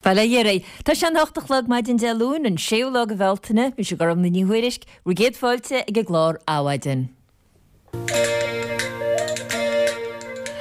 Bail ó Dhia oraibh. Tá sé an 8 a chlog maidin Dé Luain, an séú lá de Bhealtaine. Mise Gormfhlaith Ní Thuairisg, bhur gcéad fáilte ag an gclár Adhmhaidin.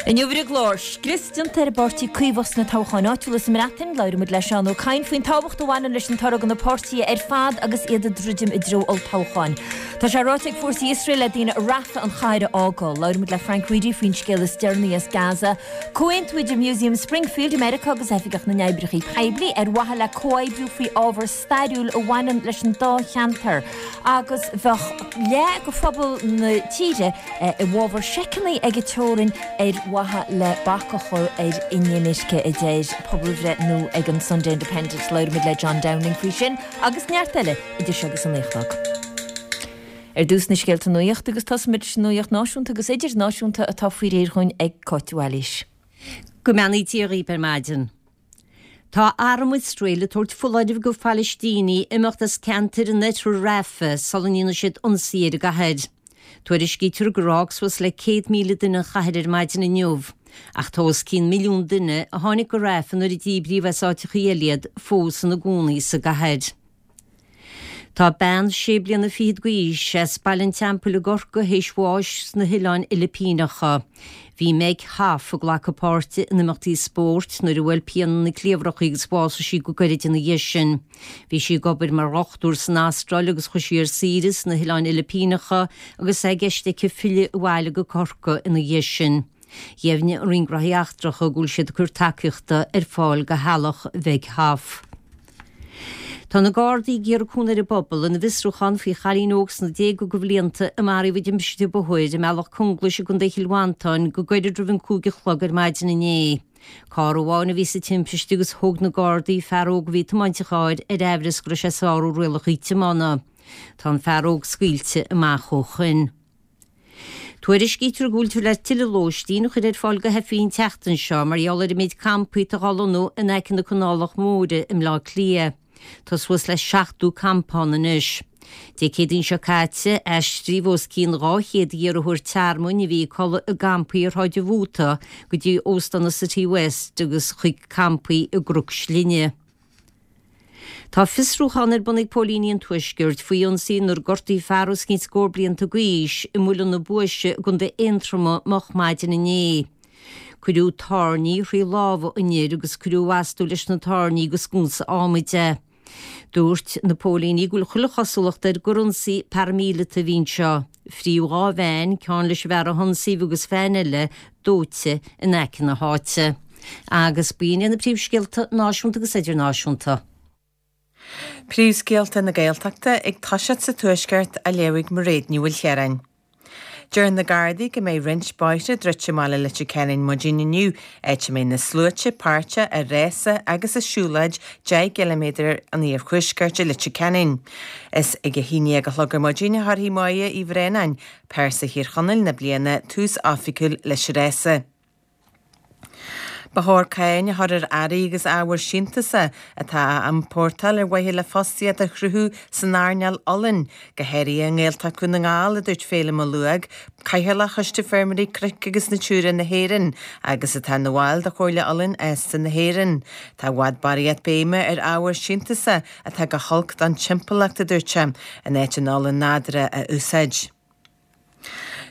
Inniu ar an gclár, scrios déanta ar an bPáirtí Caomhach sna toghcháin áitiúla sa mBreatain, labhróidh muid le Seán Ó Cadhain faoin tábhacht a bhaineann leis an toradh do na páirtithe ar fad agus iad ag druidim i dtreo olltoghcháin. Tá sé ráite ag fórsaí Iosrael le daoine i Rafah an chathair a fhágáil. Labhróidh muid le Frank Reidy faoin scéal is deireanaí as Gaza. Comhaontú idir Museum Springfield i Meiriceá agus Oifigeach na nOibreacha Poiblí ar mhaithe le comhoibriú faoi ábhar stairiúil a bhaineann leis an dá cheantar agus bheadh leath de phobal na tíre i bhfabhar seiceanna ag an teorainn ar mhaithe le bac a chur ar inimirce, a deir pobalbhreith nua ag an Sunday Independent. Labhróidh muid le John Downing faoi sin agus neart eile idir seo agus a 9 a chlog. Ar dtús na scéalta nuachta agus tosóimid leis an nuacht náisiúnta agus idirnáisiúnta atá faoi réir dhúinn ag Cáit de Bhailís. Go mbeannaí Dia dhaoibh ar maidin. Tá arm Iosrael ag tabhairt foláirimh go Phalaistínigh imeacht as ceantair in oirthear Rafah sula ndéanfaidh siad ionsaí ar an gcathair. Tuairiscítear gur fhág suas le 100,000 duine an chathair ar maidin inniu, ach tá os cionn milliún duine a tháinig go Rafah nuair a díbríodh as áiteachaí eile iad fós ina gcónaí sa gcathair. Tá bean sé bliana fichead d'aois as Baile an Teampaill i gCorcaigh théis bháis sna hOileáin Fhilipíneacha. Bhí Meg Hoff ag glacadh páirte in imeachtaí spóirt nuair a bhuail pian ina cliabhrach í agus bhásaigh sí go gairid ina dhiaidh sin. Bhí sí ag obair mar dhochtúir san Astráil agus chuaigh sí ar saoire sna hOileáin Fhilipíneacha agus é i gceist aici filleadh abhaile go Corcaigh ina dhiaidh sin. Dheimhnigh an Roinn Gnóthaí Eachtracha go bhfuil siad ag cur tacaíochta ar fáil do theaghlach Mheg Hoff. Tá na Gardaí ag iarraidh cúnamh ar an bpobal ina bhfiosrúchán faoi chailín óg sna déaga de bhlianta a maraíodh i dtimpiste bóthair i mBealach Conglais i gContae Chill Mhantáin go gairid roimh an 5 a chlog ar maidin inné. Carr amháin a bhí sa timpiste agus thóg na Gardaí fear óg a bhí ag tiomáint an chairr ar aimhreas go raibh sé ag sárú rialacha tiomána. Tá an fear óg scaoilte amach ó shoin. Tuairiscítear go bhfuiltear le tuilleadh lóistín a chur ar fáil do theifigh an tseachtain seo mar gheall ar an méid campaí atá á lonnú in aice na Canálach Móire i mBleá Cliath. Tá suas le 70 campa ann anois. Dé Céadaoin seo caite, aistríodh os cionn 200 iarrthóir tearmainn a bhí ag codladh i gcampaí ar Shráid an Mhóta go dtí Óstán an Citywest agus chuig campaí i gCnoc Slinne. Tá fiosrúchán ar bun ag póilíní an Tuaiscirt faoi ionsaí inar gortaíodh fear os cionn scór blianta d'aois i Muileann na Buaise i gContae Aontroma moch maidin inné. Cuireadh tairní thrí lámha an fhir agus cuireadh astu leis na tairní agus sconsa adhmaid é. Dúirt na póilíní go bhfuil chuile chosúlacht air gur ionsaí paraimíleata a bhí anseo. Fríodh 2 veain, ceann leis an bhfear a hionsaíodh agus veain eile dóite in aice na háite. Agus b'in iad na príomhscéalta náisiúnta agus idirnáisiúnta. Príomhscéalta na Gaeltachta ag toiseacht sa Tuaisceart á léamh ag Mairéad Ní Mhaoilchiaráin. Deir na Gardaí go mbeidh roinnt bóithre druidte i mbaile Leitir Ceanainn maidin inniu, áit a mbeidh na sluaite páirteach i rása agus i siúlóid 10 gciliméadar an iarthuaiscirt i Leitir Ceanainn. Is ag a haon dhéag a chlog ar maidin a chuirfidh Máire Uí Bhraonáin, Pearsa Thír Chonaill na bliana, tús oifigiúil leis an rása. Ba chóir cáin a chur ar earraí agus ábhair síntiúsa atá á n-iompórtáil ar mhaithe le fostaíocht a chruthú san earnáil olann, go háirithe i nGaeltacht Dhún na nGall, a dúirt Féilim Ó Luaig, Cathaoirleach Choiste Feirmeoirí Cnoic agus Natura na hÉireann agus atá ina bhall de Chomhairle Olann Fheasta na hÉireann. Tá i bhfad barraíocht béime ar ábhair síntiúsa atá go holc don timpeallacht, a dúirt sé, in áit an olann nádúrtha a úsáid.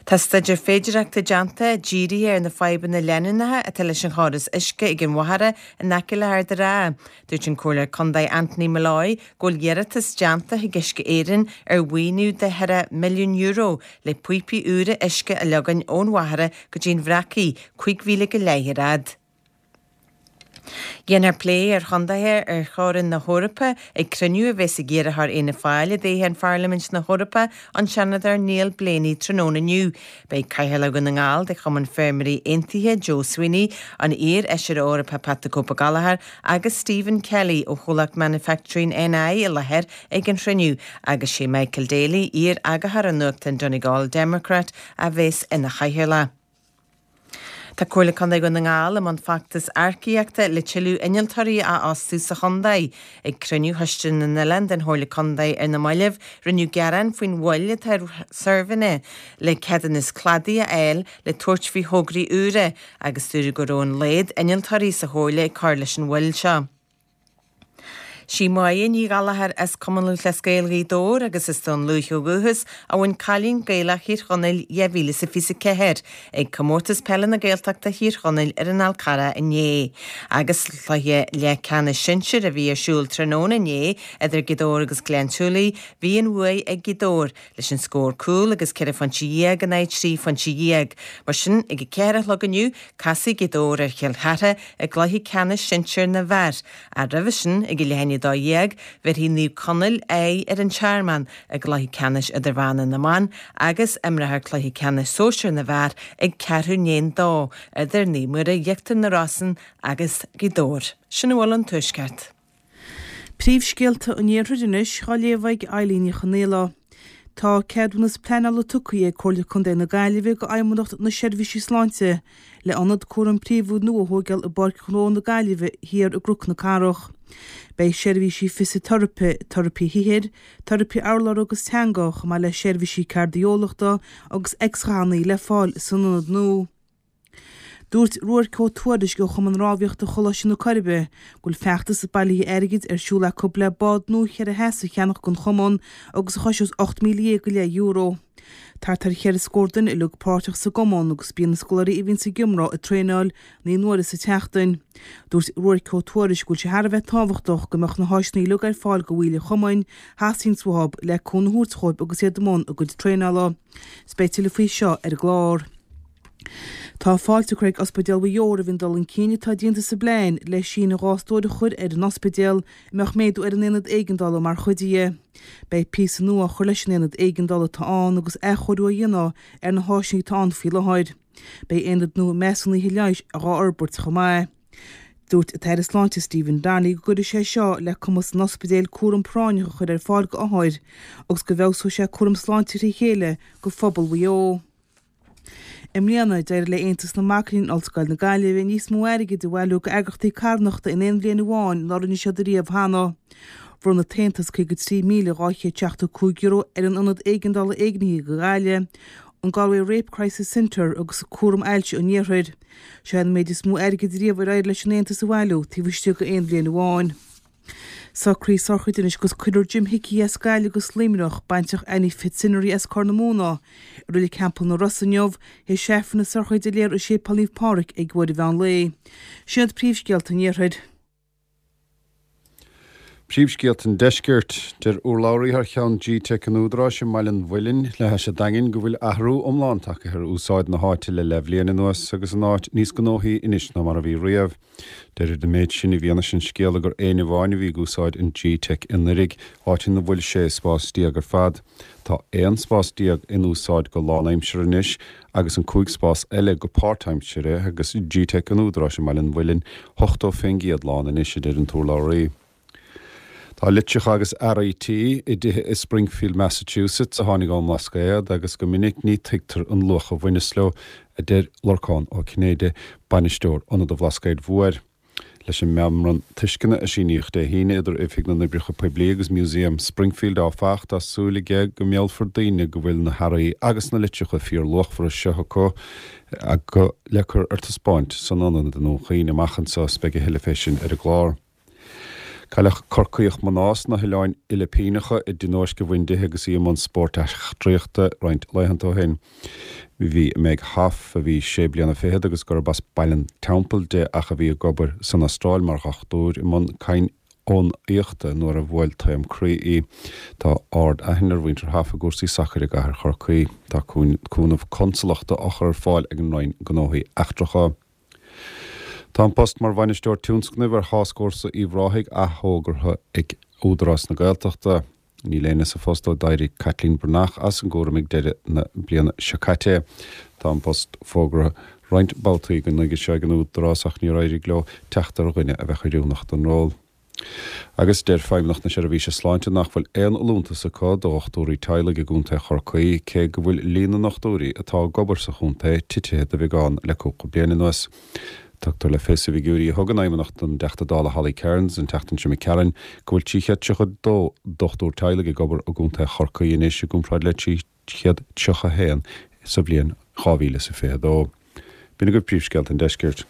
Tá staidéar féidearthachta déanta, dírithe ar na fadhbanna leanúnacha atá leis an chóras uisce ag an Mhachaire in aice le hArd an Rátha. Dúirt an Comhairleoir Contae Anthony Molloy go bhfuil iarratas déanta chuig Uisce Éireann ar mhaoiniú de €4 milliún le píopaí úra uisce a leagan ón Mhachaire go dtí an Bhreacaigh, 5 mhíle go leith ar fhad. Déanfar plé ar chontaetha ar theorainn na hEorpa ag cruinniú a bheas ag iarrthóir Fhianna Fáil i dtoghchán Pharlaimint na hEorpa, an Seanadóir Niall Blaney tráthnóna inniu. Beidh Cathaoirleach Dhún na nGall de Chumann Feirmeoirí Aontaithe, Joe Sweeney, an iar-Fheisire Eorpach Pat the Cope Gallagher agus Stephen Kelly ó chomhlacht Manufacturing NI i láthair ag an chruinniú agus sé Michael Daly, iar-eagarthóir an nuachtáin Donegal Democrat, a bheas ina chathaoirleach. Tá Comhairle Contae Dhún na nGall i mbun feachtas earcaíochta le tuilleadh innealtóirí a fhostú sa chontae. Ag cruinniú Choiste na nOileán den Chomhairle Contae ar na mallaibh, rinneadh gearán faoin mhoill atá ar suirbhéanna le ceadúnas cladaigh a fháil le tabhairt faoi thograí úra agus dúradh go raibh an laghad innealtóirí sa Chomhairle ag cur leis an mhoill seo. Sí Máire Ní Ghallchóir as Cumann Lúthchleas Gael Ghaoth Dobhair agus as Dún Lúiche ó dhúchas a bhain Cailín Gaelach Thír Chonaill 2024 ag Comórtas Peile na Gaeltachta Thír Chonaill ar an Fhál Carrach inné. Agus cluiche leathcheannais sinsir a bhí ar siúl tráthnóna inné idir Gaoth Dobhair agus Gleann tSúilí, bhí an bhuaidh ag Gaoth Dobhair leis an scór cúl agus 14 phointe in aghaidh 13 phointe. Mar sin, ag a ceathair a chlog inniu, casfaidh Gaoth Dobhair ar Chill Chartha i gcluiche ceannais sinsir na bhfear. Ach roimhe sin, ag a leath i ndiaidh 12, bhéarfaidh Naomh Conaill aghaidh ar an Tearmann i gcluiche ceannais idirmheánach na mban agus imreofar cluiche ceannais sóisir na bhfear ag ceathrú i ndiaidh a dó idir Naomh Muire Íochtar na Rosann agus Gaoth Dobhair. Sin a bhfuil ón Tuaisceart. Príomhscéalta an Iarthair anois á léamh ag Eilín Ní Chonaola. Tá ceadúnas pleanála tugtha ag Comhairle Contae na Gaillimhe go Fheidhmeannacht na Seirbhísí Sláinte le ionad cúraim príomhúil nua a thóigeáil i bPáirc Ghnó na Gaillimhe Thiar i gCnoc na Cathrach. Beidh seirbhísí fisiteiripe, teiripe shaothair, teiripe urlabhra agus teanga, chomh maith le seirbhísí cairdiolachta agus x-ghathanna le fáil san ionad nua. Dúirt Ruairc Ó Tuairisg ó Chumann Rámhaíochta Choláiste na Coiribe go bhfuil feachtas bailithe airgid ar siúl acu le bád nua cheithre sheas a cheannach don chumann agus a choisneos €18,000 go leith euro. Thart ar cheithre scór duine uilig páirteach sa gcumann agus bíonn na scoláirí a bhíonns ag iomrá ag traenáil naoi n-uaire sa tseachtain. Dúirt Ruairc Ó Tuairisg go bhfuil sé thar a bheith tábhachtach go mbeadh na háiseanna uilig ar fáil do bhaill an chumainn a theastaíonns uathu le cúnamh a thabhairt dhóibh agus iad i mbun a gcuid traenála. 'S beidh tuilleadh faoi seo ar an gclár. Tá fáilte curtha ag Ospidéal Mhaigh Eo roimh an dul chun cinn atá déanta sa bplean le síneadh 2 stór a chur ar an ospidéal, a mbeadh méadú ar an aonad éigeandála mar chuid dhe. Beidh píosa nua á chur leis an aonad éigeandála atá ann agus athchóiriú á dhéanamh ar na háiseanna atá ann faoi láthair. Beidh aonad nua measúnaithe leighis á fhorbairt chomh maith. Dúirt an tAire Sláinte Stephen Donnelly go gcuirfidh sé seo le cumas an ospidéil cúram práinneach a chur ar fáil go othair agus go bhfeabhsóidh sé cúram sláinte trí chéile go phobal Mhaigh Eo. I mbliana, d'éirigh le Aontas na Mac Léinn in Ollscoil na Gaillimhe níos mó airgid a bhailiú go eagraíochtaí carthanachta in aon bhliain amháin ná rinne siad ariamh cheana. Bhronn an tAontas €53,275 ar an Ionad Éigeandála Éignithe do Ghaillimh, an Galway Rape Crisis Centre agus Cúram Ailse an Iarthair. Seo é an méid is mó airgid riamh ar éirigh leis an Aontas a bhailiú taobh istigh d'aon bhliain amháin. Socruithe sochraide anois agus cuirfear Jim Hickey as Gaillimh agus Luimneach, baintreach Annie Fitzhenry as Corr na Móna, i Reilig Theampall na Ros inniu, théis Aifreann na sochraide a léifear i Séipéal Naomh Pádraig ag uair an mheán lae. Sin iad príomhscéalta an Iarthair. Príomhscéalta an Deiscirt. Deir urlabhraí thar cheann G-Teic an Údaráis i mBaile an Mhuilinn le hais an Daingin go bhfuil athrú iomlán tagtha ar úsáid na háite le leathbhliain anuas agus an áit níos gnóthaí anois ná mar a bhí riamh. Deirtear an méid sin i bhfianaise an scéala gur éinne amháin a bhí ag úsáid an G-Teic i nArraigh, áit ina bhfuil 16 spás ar fad. Tá 11 spás in úsáid go lánaimseartha anois agus an 5 spás eile go páirtaimseartha agus G-Teic an Údaráis i mBaile an Mhuilinn 80% lán anois, a deir an t-urlabhraí. Tá litreacha agus earraí tí i dtithe i Springfield, Massachusetts a tháinig ón mBlascaod agus go minic ní tuigtear an luach a bhaineas leo, a deir Lorcán Ó Cinnéide, bainisteoir Ionad an Bhlascaoid Mhóir. Leis an meamram tuisceana a síníodh Dé hAoine idir Oifig na nOibreacha Poiblí agus Museum Springfield, áfach, tá súil aige go meallfar daoine go bhfuil na hearraí agus na litreacha fíorluachmhara seo acu le cur ar taispeáint san ionad i nDún Chaoin amach anseo. Beidh a thuilleadh fé sin ar an gclár. Cailleadh Corcaíoch mná sna hOileáin Fhilipíneacha i dtionóisc a bhain di agus í i mbun spóirt eachtraíochta roinnt laethanta ó shin. Bhí Meg Hoff, a bhí sé bliana fichead agus gurb as Baile an Teampaill di ach a bhí ag obair san Astráil mar dhochtúir, i mbun cadhnaíochta nuair a bhuail taom croí í. Tá ard-aithne ar mhuintir Hoff i gcúrsaí sacair i gcathair Chorcaí. Tá cúnamh consalachta á chur ar fáil ag an Roinn Gnóthaí Eachtracha. Tá an post mar Bhainisteoir Tionscnaimh ar Thascfhórsa Uíbh Ráthaigh athfhógartha ag Údarás na Gaeltachta. Níl éinne sa phost ó d'éirigh Caitlín Breathnach as an gcúram ag deireadh na bliana seo caite. Tá an post fógartha roinnt babhtaí go nuige seo ag an Údarás ach níor éirigh leo teacht ar dhuine a bheadh oiriúnach don ról. Agus deir Feidhmeannacht na Seirbhíse Sláinte nach bhfuil aon fholúntas acu do dhochtúirí teaghlaigh i gContae Chorcaí, cé go bhfuil líon na ndochtúirí atá ag obair sa chontae titithe de bheagán le cúpla bliain anuas. Tugtar le fios i bhfigiúirí a thug an Fheidhmeannacht don dTeachta Dála Holly Cairns an tseachtain seo imigh tharainn go bhfuil 332 dochtúir teaghlaigh ag obair i gContae Chorcaí anois i gcomparáid le 331 sa bhliain 2022. B'in agaibh príomhscéalta an deiscirt.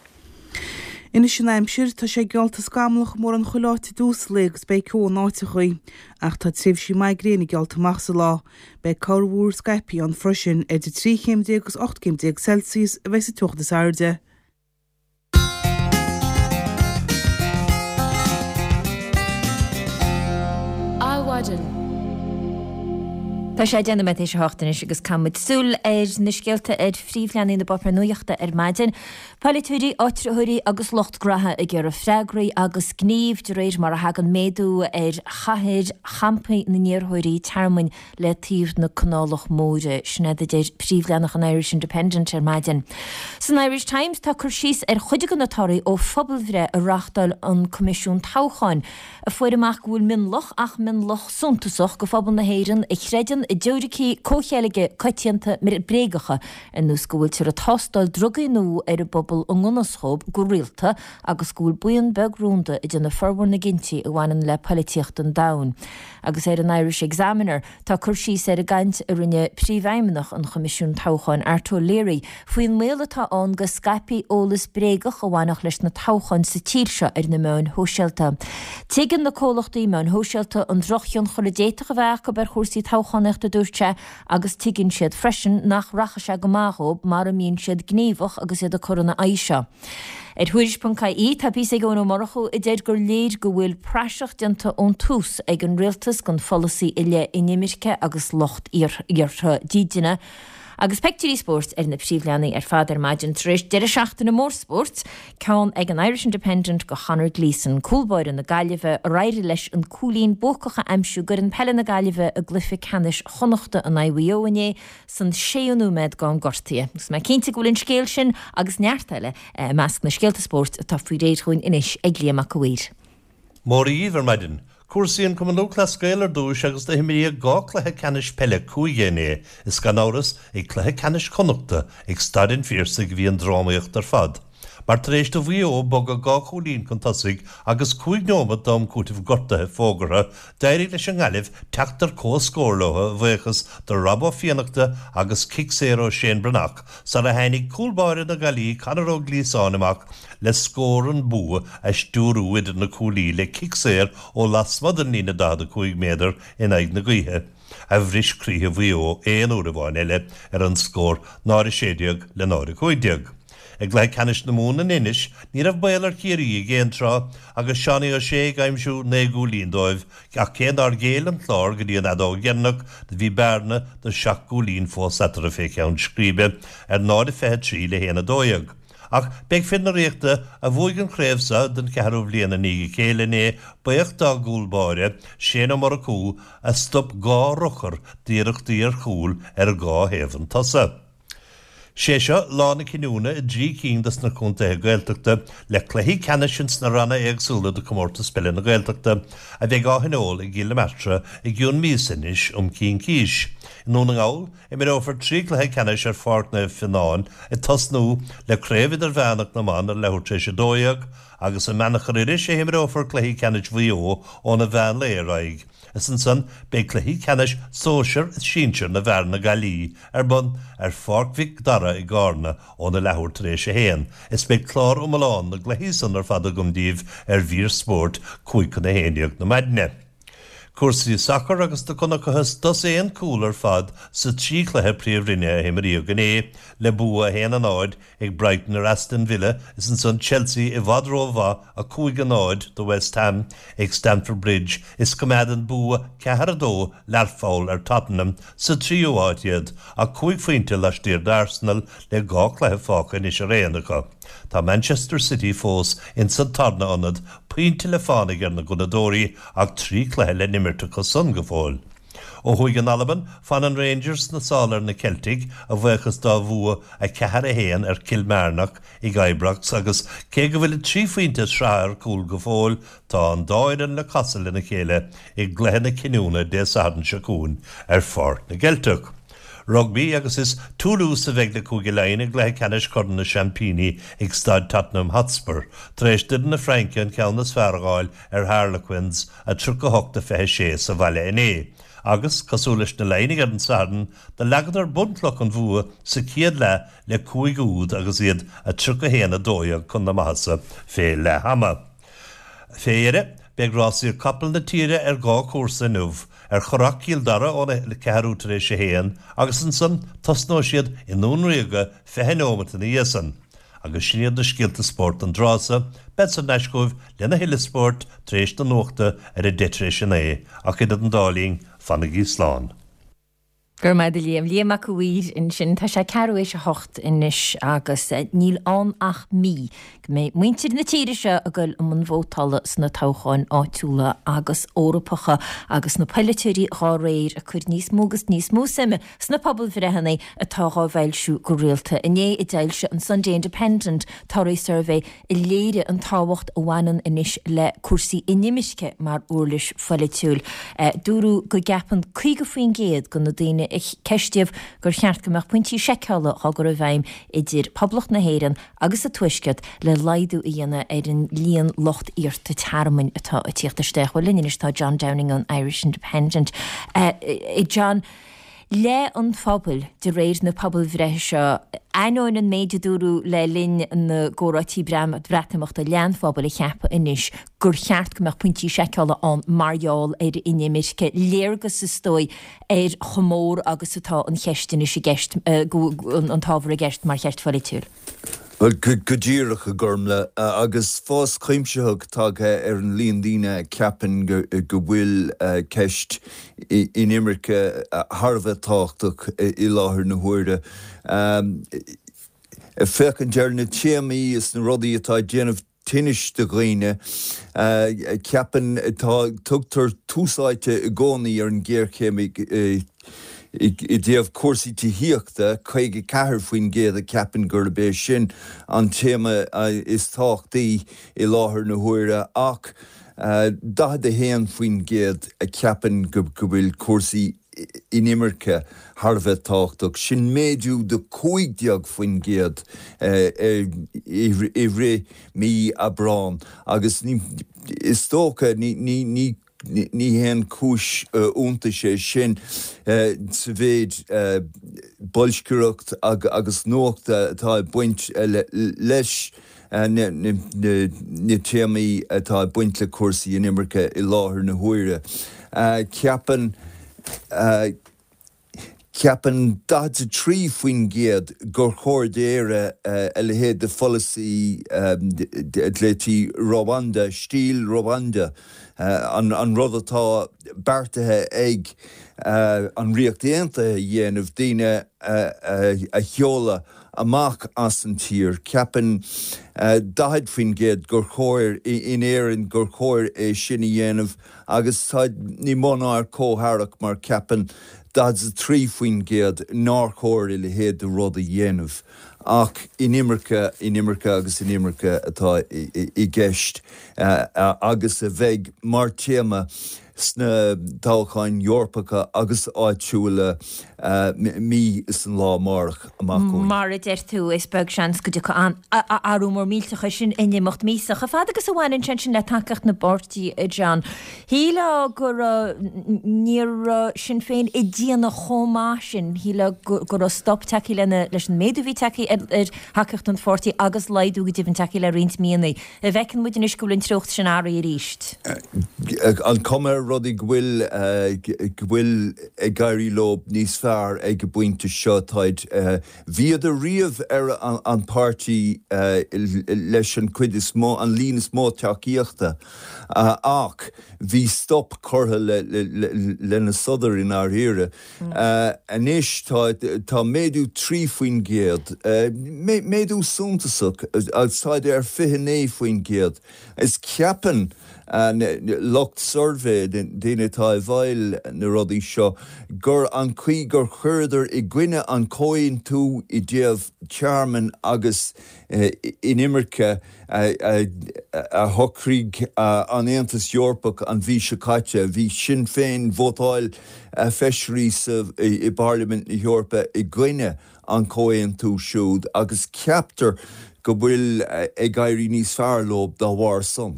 Anois an aimsir, tá sé geallta scamallach i mórán chuile áit i dtús an lae agus beidh ceo in áiteachaí, ach tá tréimhsí maith gréine geallta amach sa lá. Beidh corrmhúr scaipthe ann freisin. Idir 13 chéim agus 18 céim Celsius a bheidh sa teocht is airde. Adhmhaidin. Tá sé 10 nóiméad théis a hocht anois agus caithfidh muid súil ar na scéalta ar phríomhleathanaigh na bpáipéar nuachta ar maidin. Polaiteoirí, áitritheoirí agus lucht graithe ag iarraidh freagraí agus gníomh de réir mar a thagann méadú ar chathair champaí na n-iarrthóirí tearmainn le taobh na Canálach Móire. Sin iad a deir príomhleathanach an Irish Independent ar maidin. San Irish Times tá cur síos ar chuid de na torthaí ó phobalbhreith a reáchtáil an Coimisiún Toghcháin, a fuair amach go bhfuil mionlach, ach mionlach suntasach, de phobal na hÉireann a chreideann i dteoiricí comhcheilge coitianta bréagacha, ar nós go bhfuiltear ag tástáil drugaí nua ar an bpobal i ngan fhios dhóibh go rialta agus go bhfuil buíon beag rúnda ag déanamh formhór na gcinntí a bhaineann le poilitíocht an domhain. Agus ar an Irish Examiner, tá cur síos ar an gcaint a rinne Príomhfheidhmeannach an Choimisiúin Toghcháin, Art O'Leary, faoin mbaol atá ann go scaipfí eolas bréagach a bhainfeadh leis na toghcháin sa tír seo ar na meáin shóisialta. Tuigeann na comhlachtaí meáin shóisialta an drochthionchar a d'fhéadfadh a bheith acu ar chúrsaí toghchánaíochta, a dúirt sé, agus tuigeann siad freisin nach rachaidh sé go maith dhóibh mara mbíonn siad gníomhach agus iad ag cur ina aghaidh seo. Ar Thuairisc.ie tá píosa ag Eoin Ó Murchú a deir gur léir go bhfuil praiseach déanta ón tús ag an rialtas den pholasaí i leith inimirce agus lucht iarrtha dídine. Agus peictiúirí spóirt ar na príomhleathanaigh ar fad ar maidin tar éis deireadh seachtaine mór spóirt, ceann ag an Irish Independent go Chonor Gleeson, cúl báire na Gaillimhe, ar éirigh leis an cúilín buacach a aimsiú d'fhoireann peile na Gaillimhe i gcluiche ceannais Chonnachta in aghaidh Mhaigh Eo inné san séú nóiméad d'am gortaithe. Agus mé cinnte go bhfuil an scéal sin agus neart eile i measc na scéalta spóirt atá faoi réir dhúinn anois ag Liam Mac a' Mhaoir. Móra dhíbh ar maidin. Cúrsaí an Cumann Lúthchleas Gael ar dtúis agus do himríodh 2 cluiche ceannais peile cúige inné is gan amhras ag cluiche ceannais Chonnachta ag Staid an Phiarsaigh a bhí an drámaíocht ar fad mar tar éis do Mhaigh Eo bogadh 2 chúilín chun tosaigh agus 5 neomat d'am cúitimh gortaithe fógartha d'éirigh leis an nGaillimh teacht ar comhscór leo a bhuíochas do Rob Ó Fiannachta agus cic saor ó Shane Breathnach sara tháinig cúl báire na Gaillimhe Conor Ó Gliasáin amach le scór an bua a stiúrú idir na cuaillí le cic saor ó lasmuigh den líne 45 méadar in aghaidh na gaoithe, a bhris croíthe Mhaigh Eo aon uair amháin eile ar an scór 0-16 le 0-15. I gcluiche ceannais na Mumhan in Inis, ní raibh baol ar Chiarraí ag aon tráth agus Seánie O'Shea ag aimsiú 9 gcúilín dóibh ach cé nár ghéill an Clár go dtí an fheadóg dheireanach do bhí bearna de sheacht gcúilín fós eatarthu fé cheann scríbe ar 0-23 le 1-12. Ach beidh fir na Ríochta, a bhuaigh an chraobh seo den cheathrú bhliain i ndiaidh a chéile inné, buíoch dá gcúl báire, Shane Ó Murchú, a stop 2 urchar d'iarrachtaí ar chúl ar dhá thaobh an tsosa. Sé seo lá na cinniúna i dtrí cinn dos na contaetha Gaeltachta le cluichí ceannais ins na ranna éagsúla de Comórtas Peile na Gaeltachta a bheidh á thionól i gCill na Martra i gcionn míosa anois um cincís. I nDún na nGall, Imreofar 3 cluiche ceannais ar Pháirc Naomh Fionnán ag tosnú le Craobh Idirmheánach na mBan ar leathuair tar éis 12 agus i mBeannchar Iorrais a himreofar cluichí ceannais Mhaigh Eo óna mheán lae ar aghaidh is ansan beidh cluichí ceannais sóisear is sinsir na bhfear na Gaillí ar bun ar Pháirc Mhic Dara i gCarna óna leathuair tar éis 1 is beidh clár iomlán na gcluichí san ar fad agam díbh ar mhír spóirt 10:55 na maidne. Cúrsaí sacair agus do chonacthas dosaen cúl ar fad sa trí chluiche Príomhroinne a himríodh inné, le bua 1-0 ag Brighton ar Aston Villa is ansan Chelsea i bhfad rómhaith 5-0 do West Ham ag Stamford Bridge is coimeádann bua 4-2 Learpholl ar Tottenham sa tríú háit iad ach cúig phointe laistiar d'Arsenal le dhá chluiche fágtha anois araon acu. Tá Manchester City fós ins an tarna ionad, pointe le fánaidh ar na Gunnadóirí ach 3 cluiche le n-imirt acu san go fóill. Ó thuaidh in Albain, fanann Rangers sna sála ar na Ceiltigh, a bhuíochas dá bhua 4-1 ar Kilmarnock ag Ibrox agus cé go bhfuil 3 phointe sraithe ar cúl go fóill, tá an dá fhoireann le casadh lena chéile i gcluiche na cinniúna Dé Sathairn seo chugainn ar Pháirc na gCeilteach. Rugbaí agus is Toulouse a bheidh le Cúige Laighean i gcluiche ceannais Chorn na Seaimpíní ag Staid Tottenham Hotspur tar éis d'fhoireann na Fraince an ceann is fearr a fháil ar Harlequins, 38-26 sa bhaile inné. Agus, cosúil leis na Laighnigh ar an Satharn, do leagadar bunchloch an bhua sa chéad leath le cúig úd agus iad 31-12 chun na maitheasa fé leath ama. Fé dheireadh, beidh rásaíocht capall na tíre ar dhá chúrsa inniu, ar Churrach Chill Dara óna ceathrú tar éis a haon agus ansan tosnóidh siad i nDún Ríoga 20 neomat ina dhiaidh san. Agus sin iad na scéalta spóirt don dtráth so, bead thar n-ais chugaibh lena thuilleadh spóirt tar éis na nuachta ar a deich tar éis a naoi, ach idir an dá linn, fanaigí slán. Go raibh maith agat a Liam. Liam Mac a' Mhaoir ansin. Tá sé ceathrú éis a hocht anois agus níl ann ach mí go mbeidh muintir na tíre seo ag goil i mbun vótála sna toghcháin áitiúla agus Eorpacha agus na polaiteoirí dhá réir ag cur níos mó agus níos mó suime sna pobalbhreitheanna atá dhá bhfoilsiú go rialta. Inné a d'fhoilsigh an Sunday Independent torthaí suirbhé a léirigh an tábhacht a bhaineann anois le cúrsaí inimirce mar uirlis pholaitiúil. Dúradh go gceapann 50% de na daoine a ceistíodh gur cheart go mbeadh pointí seiceála á gcur i bhfeidhm idir Poblacht na hÉireann agus an Tuaisceart le laghdú a dhéanamh ar an líon lucht iarrta tearmainn atá ag tíocht isteach. Bhuel, linn anois tá John Downing ón Irish Independent. John. leith an phobail, de réir na pobalbhreithe seo. Ainneoin an méid a dúradh le linn na gcomhráití Breatimeachta, leath an phobail ag ceapadh anois gur cheart go mbeadh pointí seiceála ann mar gheall ar inimirce. Léargas, is dóigh, ar chomh mór agus atá an cheist anois i gceist, an t-ábhar i gceist mar cheist pholaitiúil. Bhuel, go díreach, a Ghormlaith, agus fás cuimsitheach tagtha ar an líon daoine a cheapann go bhfuil ceist inimirce thar a bheith tábhachtach i láthair na huaire. Ag féachaint ar na téamaí is na rudaí atá ag déanamh tinnis do dhaoine, ceapann, tá, tugtar tús áite i gcónaí ar an ghéarchéim i dtaobh cúrsaí tithíochta, 54% a cheapann gurb é sin an téama is tábhachtaí i láthair na huaire ach 41% a cheapann go bhfuil cúrsaí inimirce thar a bheith tábhachtach. Sin méadú de 15% i rith mí Aibreán agus is dócha ní haon chúis iontais é sin sa mhéid boilscireacht agus nuachta atá ag baint leis na téamaí atá ag baint le cúrsaí inimirce i láthair na huaire. Ceapann Ceapann 43% gur chóir d'Éire a leithéid de pholasaí a ghlaoití Rwanda, stíl Rwanda, an rud atá beartaithe ag an Ríocht Aontaithe a dhéanamh, daoine a sheoladh amach as an tír. Ceapann 40% gur chóir in Éirinn gur chóir é sin a dhéanamh agus tá ní mó ná ar comhtharrac mar ceapann 43% nár chóir a leithéid de rud a dhéanamh. Ach inimirce, inimirce agus inimirce atá i gceist agus a bheidh mar téama sna toghcháin Eorpacha agus áitiúla mí is an lá amárach amach chugainn. Mar a deir tú, is beag seans go dtiocfaidh athrú mór millteach air sin in imeacht míosa. Chomh fada agus a bhaineann sé ansin le tacaíocht na bpáirtí, a John, shílfeá go raibh, ní raibh Sinn Féin ag déanamh chomh maith sin, shílfeá go raibh stop tagtha lena, leis an méadú a bhí tagtha ar thacaíocht an pháirtí agus laghdú go deimhin tagtha le roinnt míonna. An bhfeiceann muid anois go bhfuil an treocht sin athraithe arís. An cuma ar rudaí go bhfuil go bhfuil ag éirí leo níos fearr ag an bpointe seo. Táid, bhíodar riamh ar an páirtí leis an chuid is mó, an líon is mó tacaíochta ach bhí stop curtha lena sodar i ndáiríre. Anois tá tá méadú 3%, méadú suntasach, agus táid ar 29%. Is ceapann. Lucht suirbhé, daoine atá i bhfeighil na rudaí seo, gur an chaoi gur chuireadar i gcoinne an comhaontú i dtaobh tearmainn agus inimirce a shocraigh an Aontas Eorpach an mhí seo caite. Bhí Sinn Féin, vótáil feisirí i bParlaimint na hEorpa i gcoinne an comhaontú siúd agus ceaptar go bhfuil ag éirí níos fearr leo dá bharr san.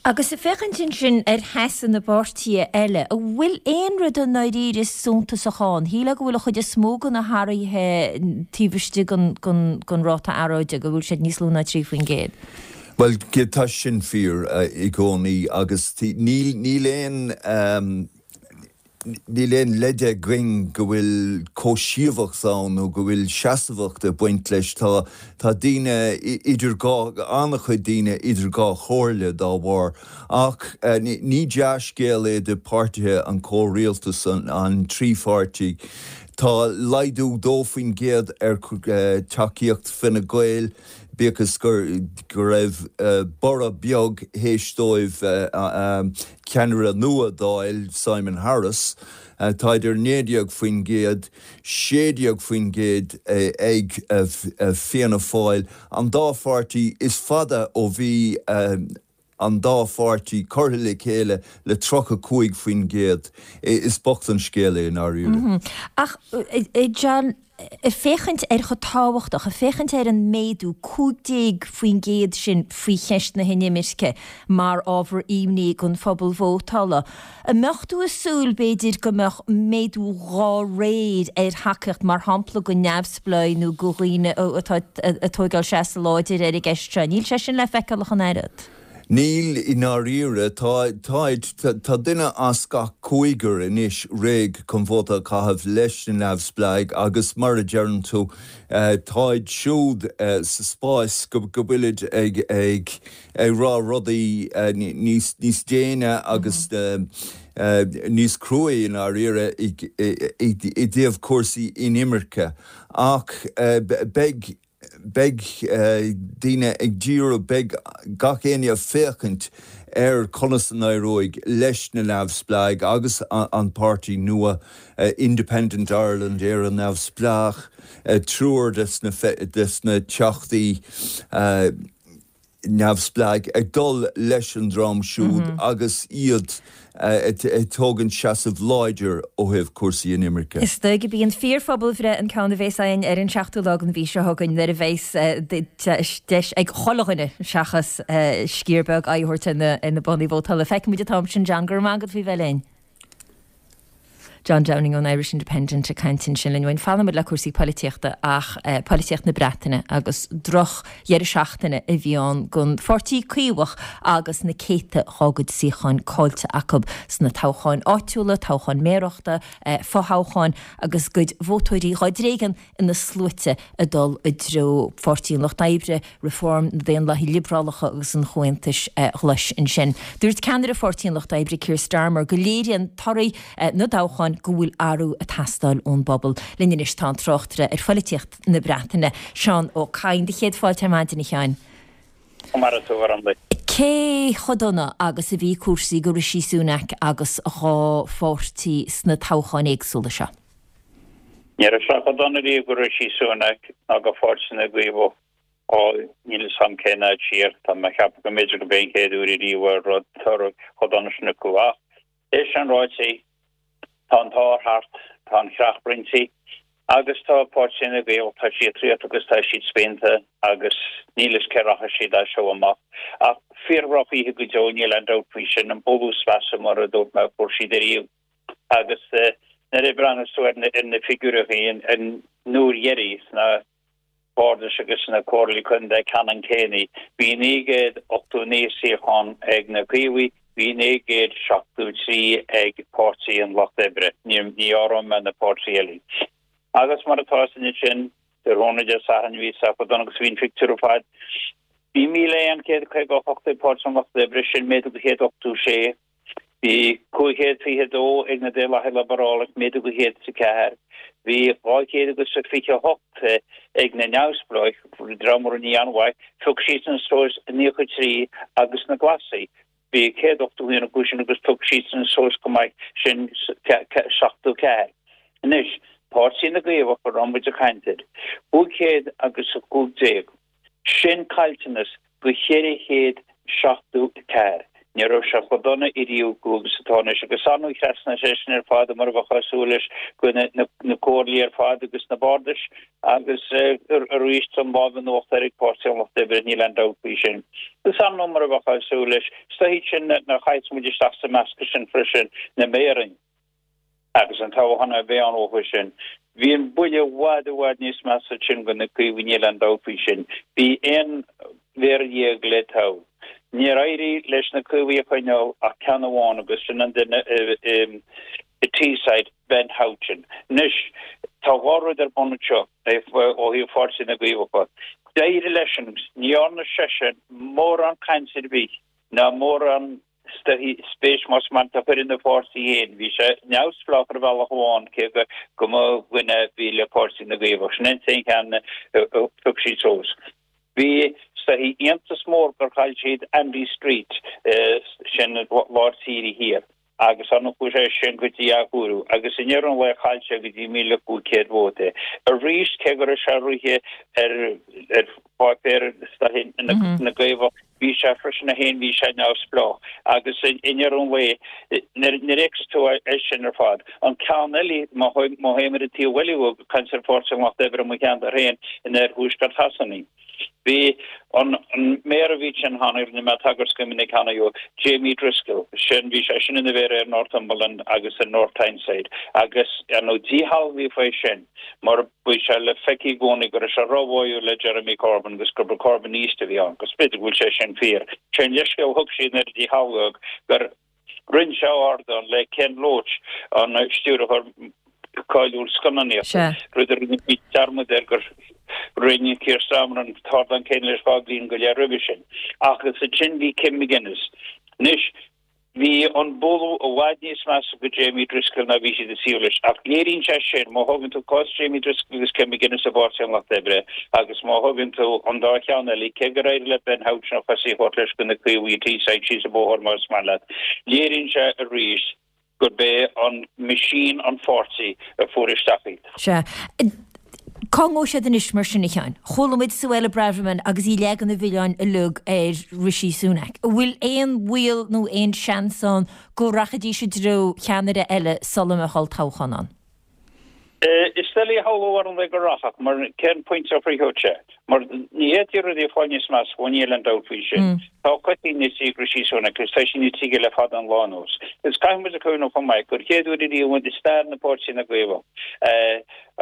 Agus ag féachaint ansin ar sheasamh na bpáirtithe eile, an bhfuil aon rud i ndáiríre suntasach ann? Shílfeá go bhfuil an chuid is mó de na hathruithe taobh istigh den ráta earráide, go bhfuil siad níos lú ná 3%. Bhuel, tá sin fíor i gcónaí agus níl aon. Níl aon leide againn go bhfuil comhsheasmhacht ann nó go bhfuil seasmhacht ag baint leis. Tá tá daoine idir dhá, an-chuid daoine idir dhá chomhairle dá bharr. Ach ní dea-scéal é do páirtithe an chomhrialtais, an trí pháirtí. Tá laghdú 2% ar tacaíocht Fine Gael. Bíodh is go raibh borradh beag théis dóibh ceannaire nua d'fháil, Simon Harris, tá idir 19%, 16% ag Fianna Fáil, an dá pháirtí is fada ó bhí an dá pháirtí curtha le chéile le 35%. Is bocht an scéal é i ndáiríre. Ach, a John, ag féachaint ar chomh tábhachtach, ag féachaint ar an méadú 15% sin faoi cheist na hinimirce mar ábhar imní don phobal vótála, an mbeadh tú ag súil, b'fhéidir, go mbeadh méadú dhá réir ar thacaíocht, mar shampla, do neamhspleáigh nó do dhaoine atá ag tóigeáil seasamh láidir ar an gceist seo? Níl sé sin le feiceáil ach an oiread. Níl, i ndáiríre. Tá, táid, tá duine as gach cúigear anois réidh chun vóta a chaitheamh leis na neamhspleáigh agus mar a deireann tú, táid siúd sa spás go bhfuilid ag, ag, ag rá rudaí níos, níos déine agus níos cruaí i ndáiríre i, i, i dtaobh cúrsaí inimirce. Ach beidh. Beidh daoine ag díriú, beidh gach éinne ag féachaint ar conas a n-éireoidh leis na neamhspleáigh agus an páirtí nua Independent Ireland, Éire Neamhspleách, triúr des na teachtaí. neamhspleáigh ag dul leis an dream siúd agus iad ag tógaint seasamh láidir ó thaobh cúrsaí inimirce. Is dóigh gurb í an fíor-phobalbhreith an ceann a bhéas againn ar an seachtú lá den mhí seo chugainn nuair a bheas deis ag chuile dhuine seachas sciar beag aghaidh a thabhairt ar na boscaí vótála. Feicfimid an t-am sin, John. Go raibh maith agat faoi bheith linn. John Downing ón Irish Independent ag caint ansin linn uainn. Fanfaidh muid le cúrsaí poilitíochta ach poilitíocht na Breataine agus droch dheireadh seachtaine a bhí ann don pháirtí Caomhach agus na céadta dhá gcuid suíocháin caillte acu sna toghcháin áitiúla, toghcháin méarachta, fothoghcháin agus a gcuid vótóirí dhá dtréigean ina sluaite ag dul i dtreo Pháirtí an Lucht Oibre, Reform, na Daonlathaithe Liobrálacha agus an Chomhaontais Ghlais ansin. Dúirt ceannaire Pháirtí an Lucht Oibre, Keir Starmer, go léiríonn torthaí na dtoghchán go bhfuil athrú ag teastáil ón bpobal. Linn anois tá an tráchtaire ar phoilitíocht na Breataine, Seán Ó Cadhain. Do chéad fáilte ar maidin, a Sheáin. Mar atá ar an. Cé chomh dona agus a bhí cúrsaí do Rishi Sunak agus a dhá pháirtí sna toghcháin éagsúla seo? Ní raibh sé chomh dona riamh do Rishi Sunak ná do Pháirtí na gCaomhach ó níl fhios a'm cén fhad siar. Tá mé a cheapadh go mb'fhéidir go b'é an chéad uair ariamh a raibh toradh chomh dona sin acu. Ach é sin ráite, tá an t-ár thart, tá an chreach roinnte agus tá Páirtí na gCaomhach, tá siad traochta agus tá siad spíonta agus níl fhios cé rachaidh siad as seo amach. Ach fíor-dhroch-oíche go deo, níl aon dabht faoi sin, an bualadh is measa mar a dúirt mé a fuair siad ariamh. Agus nuair a bhreathnas tú ar na figiúireachaí an uair dheiridh sna bardais agus sna comhairlí contae ceannann céanna, bhí 989 suíochán ag na Caomhaigh, bhí 973 ag Páirtí an Lucht Oibre, ní áireoidh mé na páirtí eile. Agus mar atá is ansin, tráthnóna Dé Sathairn bhí sé chomh dona agus a bhí an phictiúr ar fad. Bhí 1,158 ag Páirtí an Lucht Oibre, sin méadú go 186. Bhí 522 ag na Daonlathaithe Liobarálacha, méadú go 104. Bhí 200 agus 28 ag na Neamhspleáigh, dream a rinne an-mhaith, phioc siadsan suas 93 agus na Glasaigh. Bhí 181 acu sin agus thug siadsan suas go maith, sin 74. Anois, Páirtí na gCaomhach a raibh muid ag caint air, 515. Sin caillteanas go 474. Ní raibh sé chomh dona ariamh agus atá anois. Agus ar ndóigh thrasnaigh sé sin ar fad mar a bheifeá ag súil leis go na comhairlí ar fad agus na bardais agus arís an lámh in uachtar ag Páirtí an Lucht Oibre, níl aon dabht faoi sin. Agus ar ndóigh mar a bheifeá ag súil leis, is dóichí sin nach chaithfeas muid isteach sa meascadh sin freisin na méaraí. Agus an toghchán a bhí ann uathu sin. Bhí an buille i bhfad i bhfad níos measa ansin do na Caomhaigh, níl aon dabht faoi sin. Bhí 11 mhéara le toghadh. Níor éirigh leis na Caomhaigh a choinneáil ach ceann amháin agus sin an duine i Teesside, Ben Houchen. Anois, tá dhá rud ar bun anseo ó thaobh Pháirtí na gCaomhach. D'éirigh leisean, ní dhearna seisean mórán cainte ar bith ná mórán spéis más maith leat a chur ina pháirtí féin. Bhí sé neamhspleách ar bhealach amháin cé go mba dhuine a bhí le Páirtí na gCaomhach. Sin an t-aon cheann a phioc siad suas. Bhí is dóichí iontas mór gur chaill siad Andy Street, sin lár tíre thiar, agus ar ndóigh chuaigh sé sin go dtí athchóiriú agus i ndeireadh an lae chaill sé go dtí 1,500 vóta. Arís cé go raibh sé ag rith ar pháipéar na gCaomhach, Bhí sé freisin é féin, bhí sé neamhspleách agus i ndeireadh an lae, nuair a fheiceas tú é sin ar fad. An ceann eile, má théim ar an taobh eile ag caint ar Pháirtí an Lucht Oibre i mo cheantar féin in oirthuaisceart Shasana, bhí an méara a bhí ansin cheana, rinne mé tagairt go minic cheana dó, Jamie Driscoll, sin, bhí sé sin ina mhéara ar Northumberland agus ar North Tyneside agus ar ndóigh díshealbhaíodh é sin mar Bhí sé le feiceáil i gcónaí go raibh sé róbháúil le Jeremy Corbyn agus gurb Corbynista a bhí ann, agus b'fhéidir go bhfuil sé sin fíor. Sé an leithscéal a thug siad nuair a díshealbhaíodh gur roinn sé ardán le Ken Loach, an stiúrthóir cáiliúil scannánaíochta, rud a rinne siad dearmad air gur roinn Keir Starmer an t-ardán céanna leis 2 bhliain go leith roimhe sin. Ach is ansin bhí Kim McGuinness. Anois, Bhí an bualadh i bhfad níos measa go Jamie Driscoll ná bhí siad ag súil leis. Ach léiríonn sé sin, má thógann tú cás Jamie Driscoll agus Kim McGuinness i bPáirtí an Lucht Oibre agus má thógann tú an dá cheann eile, cé gur éirigh le Ben Houchen a chosaí a thabhairt leis go na Caomhaigh Teesside síos an bóthar más maith leat, léiríonn sé arís gurb é an machine an pháirtí a fuair isteach iad. Sea. Cá ngabhfaidh siad anois mar sin, a Sheáin? Chuala muid Suella Braverman agus í ag leagan an mhilleáin uilig ar Rishi Sunak. An bhfuil aon bhaol nó aon seans ann go rachaidís i dtreo cheannaire eile sula mbeadh olltoghchán ann? Is doiligh a shamhlú ar ndóigh go rachadh, mar cén pointe a shroichfeadh sé? Mar ní fhéadfaí rudaí a fháil níos measa, bhuel níl aon dabht faoi sin. Tá a chosaí nite ag Rishi Sunak agus tá sí nite aige le fada an lá anuas. Agus caithfidh muid a chuimhneamh chomh maith gur chéad uair ariamh i stair na Páirtí na gCaomhach,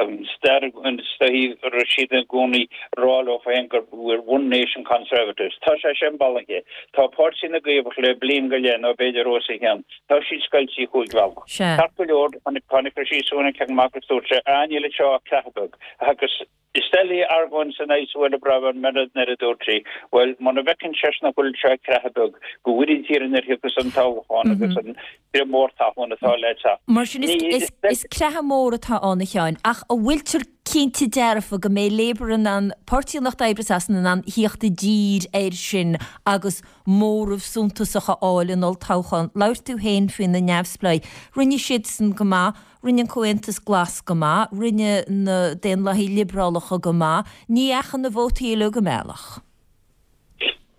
an stair is dóichí a raibh siad i gcónaí ag rá leo féin gur we're one nation conservatives. Tá sé sin bailithe. Tá Páirtí na gCaomhach le bliain go leith nó b'fhéidir os a chionn. Tá siad scoilte chúig bhealach. Ceart go leor, tháinig Rishi Sunak amach agus dúirt sé, ah níl anseo ach creathadh beag. Agus is doiligh argóint in aghaidh Suella Braverman nuair a dúirt sí, bhuel, muna bhfeiceann seisean nach bhfuil anseo ach creathadh beag, go bhfóire Dia orainn nuair a thiocfas an toghchán agus an crith mór talún atá le teacht. Mar sin, is creathadh mór atá ann, a Sheáin, ach an bhfuiltear cinnte dearfa go mbeidh Labour in ann, Páirtí an Lucht Oibre Sasana in ann thíocht i dtír air sin agus móramh suntasach a fháil in olltoghchán. Labhair tú féin faoi na neamhspleáigh. Rinne siadsan go maith, rinne an Comhaontas Glas go maith, rinne na Daonlathaigh Liobrálacha go maith. Ní dheachaigh na vótaí uilig a mbealach.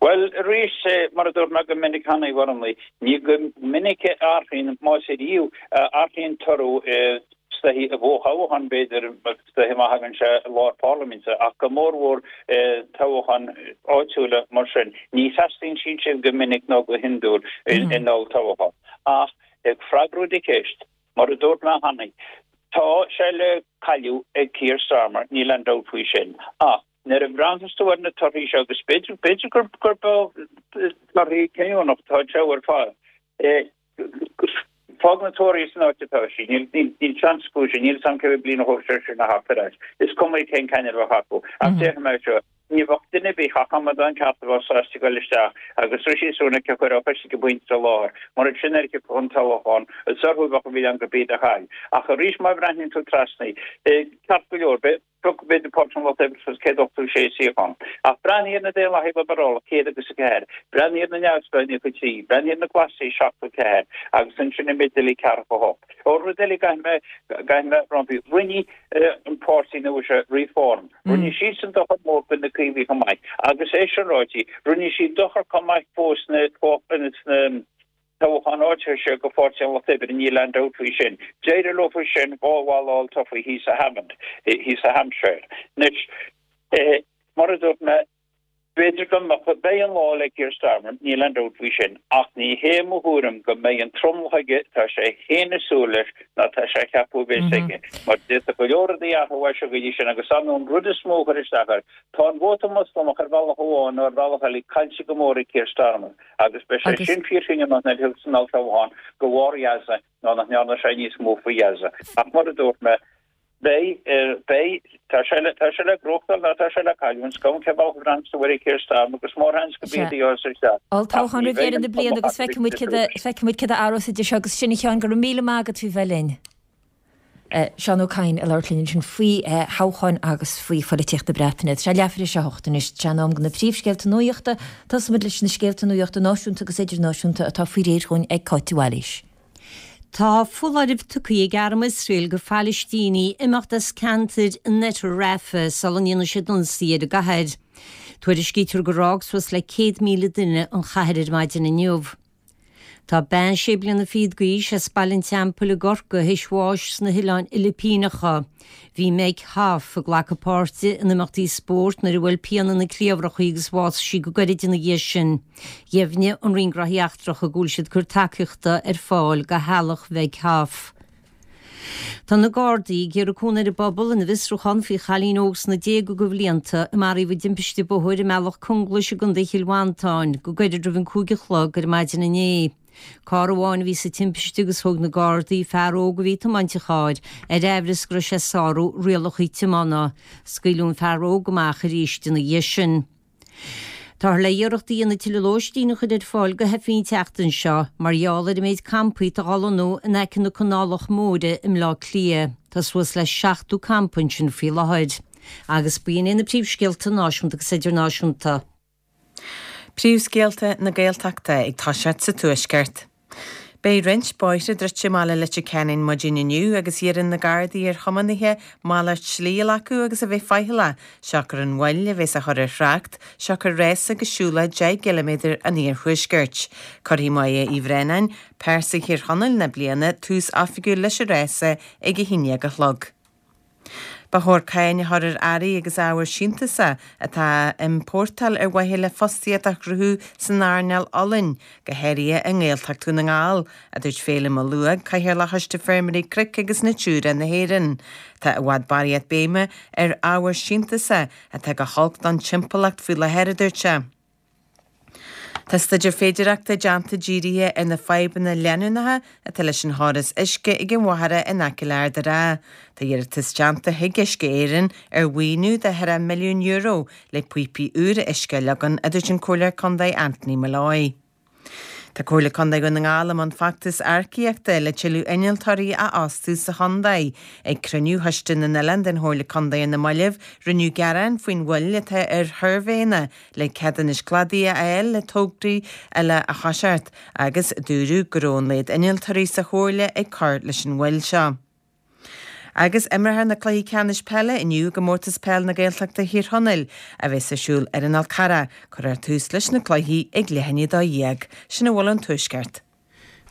Bhuel, arís, mar a dúirt mé go minic cheana, a Bhreandáin, ní go minic a athraíonn, más ariamh a athraíonn toradh is dóichí i bhfothoghchán, b'fhéidir, is dóichí má thagann sé i lár parlaiminte, ach go mórmhór i dtoghcháin áitiúla mar sin. Ní theastaíonn siad sin go minic nó go hiondúil in olltoghchán. Ach ag freagrú do cheist, mar a dúirt mé cheana, tá sé le cailleadh ag Keir Starmer, níl aon dabht faoi sin. Ach nuair a bhreathnaíos tú ar na torthaí seo, agus b'fhéidir, b'fhéidir gur, gurb torthaí cinniúnach atá anseo ar fad, Fág na Tories san áit atá siad. Níl seans acu sin. Níl 'fhios a'm cé mhéad bliain a thógfaidh sé sin a theacht ar ais. Is cuma cén ceannaire a bheadh acu. Ach déarfaidh mé seo, ní bheadh duine ar bith ach amadán ceart a bheadh sásta dul isteach agus Rishi Sunak a chur á chois ag an bpointe i láthair, mar ansin nuair a thiocfadh an toghchán, is orthu a bheadh an milleán gurb iad a chaill. Ach arís má bhreathnaíonn tú trasna, ceart go leor, beidh. Thug b'fhéidir Páirtí an Lucht Oibre suas 186 suíochán. Ach breathnaigh ar na Daonlathaigh Liobrálach, 104, breathnaigh ar na Neamhspleáigh, 93, breathnaigh ar na Glasaigh, 74, agus ansin an méid eile, 48. Ó rud eile caithfidh mé, caithfidh mé roimpi, rinne an páirtí nua seo, Reform, rinne siadsan dochar mór do na Caomhaigh chomh maith. Agus é sin ráite, rinne siad dochar chomh maith fós sna, sna, Toghchán áitiúil seo do Pháirtí an Lucht Oibre, níl aon dabht faoi sin. D'éirigh leo sin dhá bhall a fháil tofa thíos i Havant, thíos i Hampshire. Anois, mar a dúirt mé, b'fhéidir go mbeadh, beidh an lá le Keir Starmer, níl aon dabht faoi sin, ach ní hé mo thuairim go mbeidh an tromlach aige atá sé féin ag súil leis ná tá sé ag ceapadh a bheas aige, mar d'fhéadfadh go leor rudaí athrú as seo go dtí sin agus ar ndóigh an rud is mó a chuir isteach air, tá an vóta Moslamach ar bhealach amháin nó ar bhealach eile caillte go mór ag Keir Starmer. Agus beidh sé sin fíorchinniúnach nuair a thiocfas an olltoghchán de bharr Ghaza nó nach ndearna sé níos mó faoi Ghaza. Ach mar a dúirt mé, beidh, beidh, tá sé le, tá sé le gnóthachtáil nó tá sé le cailliúint, is cuma cén bealach a bhreathnaíonn tú air Keir Starmer agus mórsheans go Sea. b'iad a gheobhas isteach. Ach Olltoghchán ní roimh bheidh dheireadh an na bliana tromlach agus acu feicfidh muid céard a, feicfidh muid céard a athrós idir seo agus sin a Sheáin, go raibh míle maith agat faoi bheith linn. Seán Ó Cadhain ag labhairt linn ansin faoi thoghcháin agus faoi phoilitíocht na Breataine. Tá sé leathuair tar éis a hocht anois. Tá sé in am do na príomhscéalta nuachta. Tosóimid leis na scéalta nuachta náisiúnta agus idirnáisiúnta atá faoi réir dhúinn ag Cáit de Bhailís. Tá foláireamh tugtha ag arm Iosrael do Phalaistínigh imeacht as ceantair in oirthear Rafah sula ndéanfaidh siad ionsaí ar an gcathair. Tuairiscítear gur fhág suas le 100,000 duine an chathair ar maidin inniu. Tá bean sé bliana fichead d'aois as Baile an Teampaill i gCorcaigh théis bháis sna hOileáin Fhilipíneacha. Bhí Meg Hoff ag glacadh páirte in imeachtaí spóirt nuair a bhuail pian ina cliabhrach í agus bhásaigh sí go gairid ina dhiaidh sin. Dheimhnigh an Roinn Gnóthaí Eachtracha go bhfuil siad ag cur tacaíochta ar fáil do theaghlach Mheg Hoff. Tá na Gardaí ag iarraidh cúnamh ar an bpobal ina bhfiosrúchán faoi chailín óg sna déaga de bhlianta a maraíodh i dtimpiste bóthair i mBealach Conglais i gContae Chill Mhantáin go gairid roimh an 5 a chlog ar maidin inné. Carr amháin a bhí sa timpiste agus thóg na Gardaí fear óg a bhí ag tiomáint an chairr ar aimhreas go raibh sé ag sárú rialacha tiomána. Scaoileadh an fear óg amach arís ina dhiaidh sin. Táthar le iarracht a dhéanamh tuilleadh lóistín a chur ar fáil do theifigh an tseachtain seo mar gheall ar an méid campaí atá á lonnú in aice na Canálach Móire i mBleá Cliath. Tá suas le 70 campa ansin faoi láthair. Agus b'in é na príomhscéalta náisiúnta agus idirnáisiúnta. Príomhscéalta na Gaeltachta ag toiseacht sa Tuaisceart. Beidh roinnt bóithre druidte i mbaile Leitir Ceanainn maidin inniu agus iarrann na Gardaí ar thiománaithe malairt slí a ghlacadh agus a bheith faichilleach, siocair an mhoill a bheas á chur ar thrácht, siocair rása agus siúlóid 10 gciliméadar an iarthuaiscirt. Cuirfidh Máire Uí Bhraonáin, Pearsa Thír Chonaill na bliana, tús oifigiúil leis an rása ag a haon dhéag a chlog. Ba chóir cáin a chur ar earraí agus ábhair síntiúsa atá á n-iompórtáil ar mhaithe le fostaíocht a chruthú san earnáil olainn, go háirithe i nGaeltacht Dhún na nGall, a dúirt Féilim Ó Lúing, Cathaoirleach Choiste Feirmeoirí Cnoic agus Natura na hÉireann. Tá i bhfad barraíocht béime ar ábhair síntiúsa atá go holc don timpeallacht faoi láthair, a dúirt sé. Tá staidéar féidearthachta déanta dírithe ar na fadhbanna leanúnacha atá leis an chóras uisce ag an Mhachaire in aice le Ard an Rátha. Tá iarratas déanta chuig Uisce Éireann ar mhaoiniú de €4 milliún le píopaí úra uisce a leagan, a dúirt an Comhairleoir Contae Anthony Molloy. Tá Comhairle Contae Dhún na nGall i mbun feachtas earcaíochta le tuilleadh innealtóirí a fhostú sa chontae. Ag cruinniú Choiste na nOileán den Chomhairle Contae ar na mallaibh, rinneadh gearán faoin mhoill atá ar shuirbhéanna le ceadúnais cladaigh a fháil le tograí eile a thoiseacht agus dúradh go raibh an laghad innealtóirí sa Chomhairle ag cur leis an mhoill seo. Agus imreofar na cluichí ceannais peile inniu i gComórtas Peil na Gaeltachta Thír Chonaill a bheas ar siúl ar an Fhál Carrach. Cuirfear tús leis na cluichí ag leath i ndiaidh 12. Sin a bhfuil ón Tuaisceart.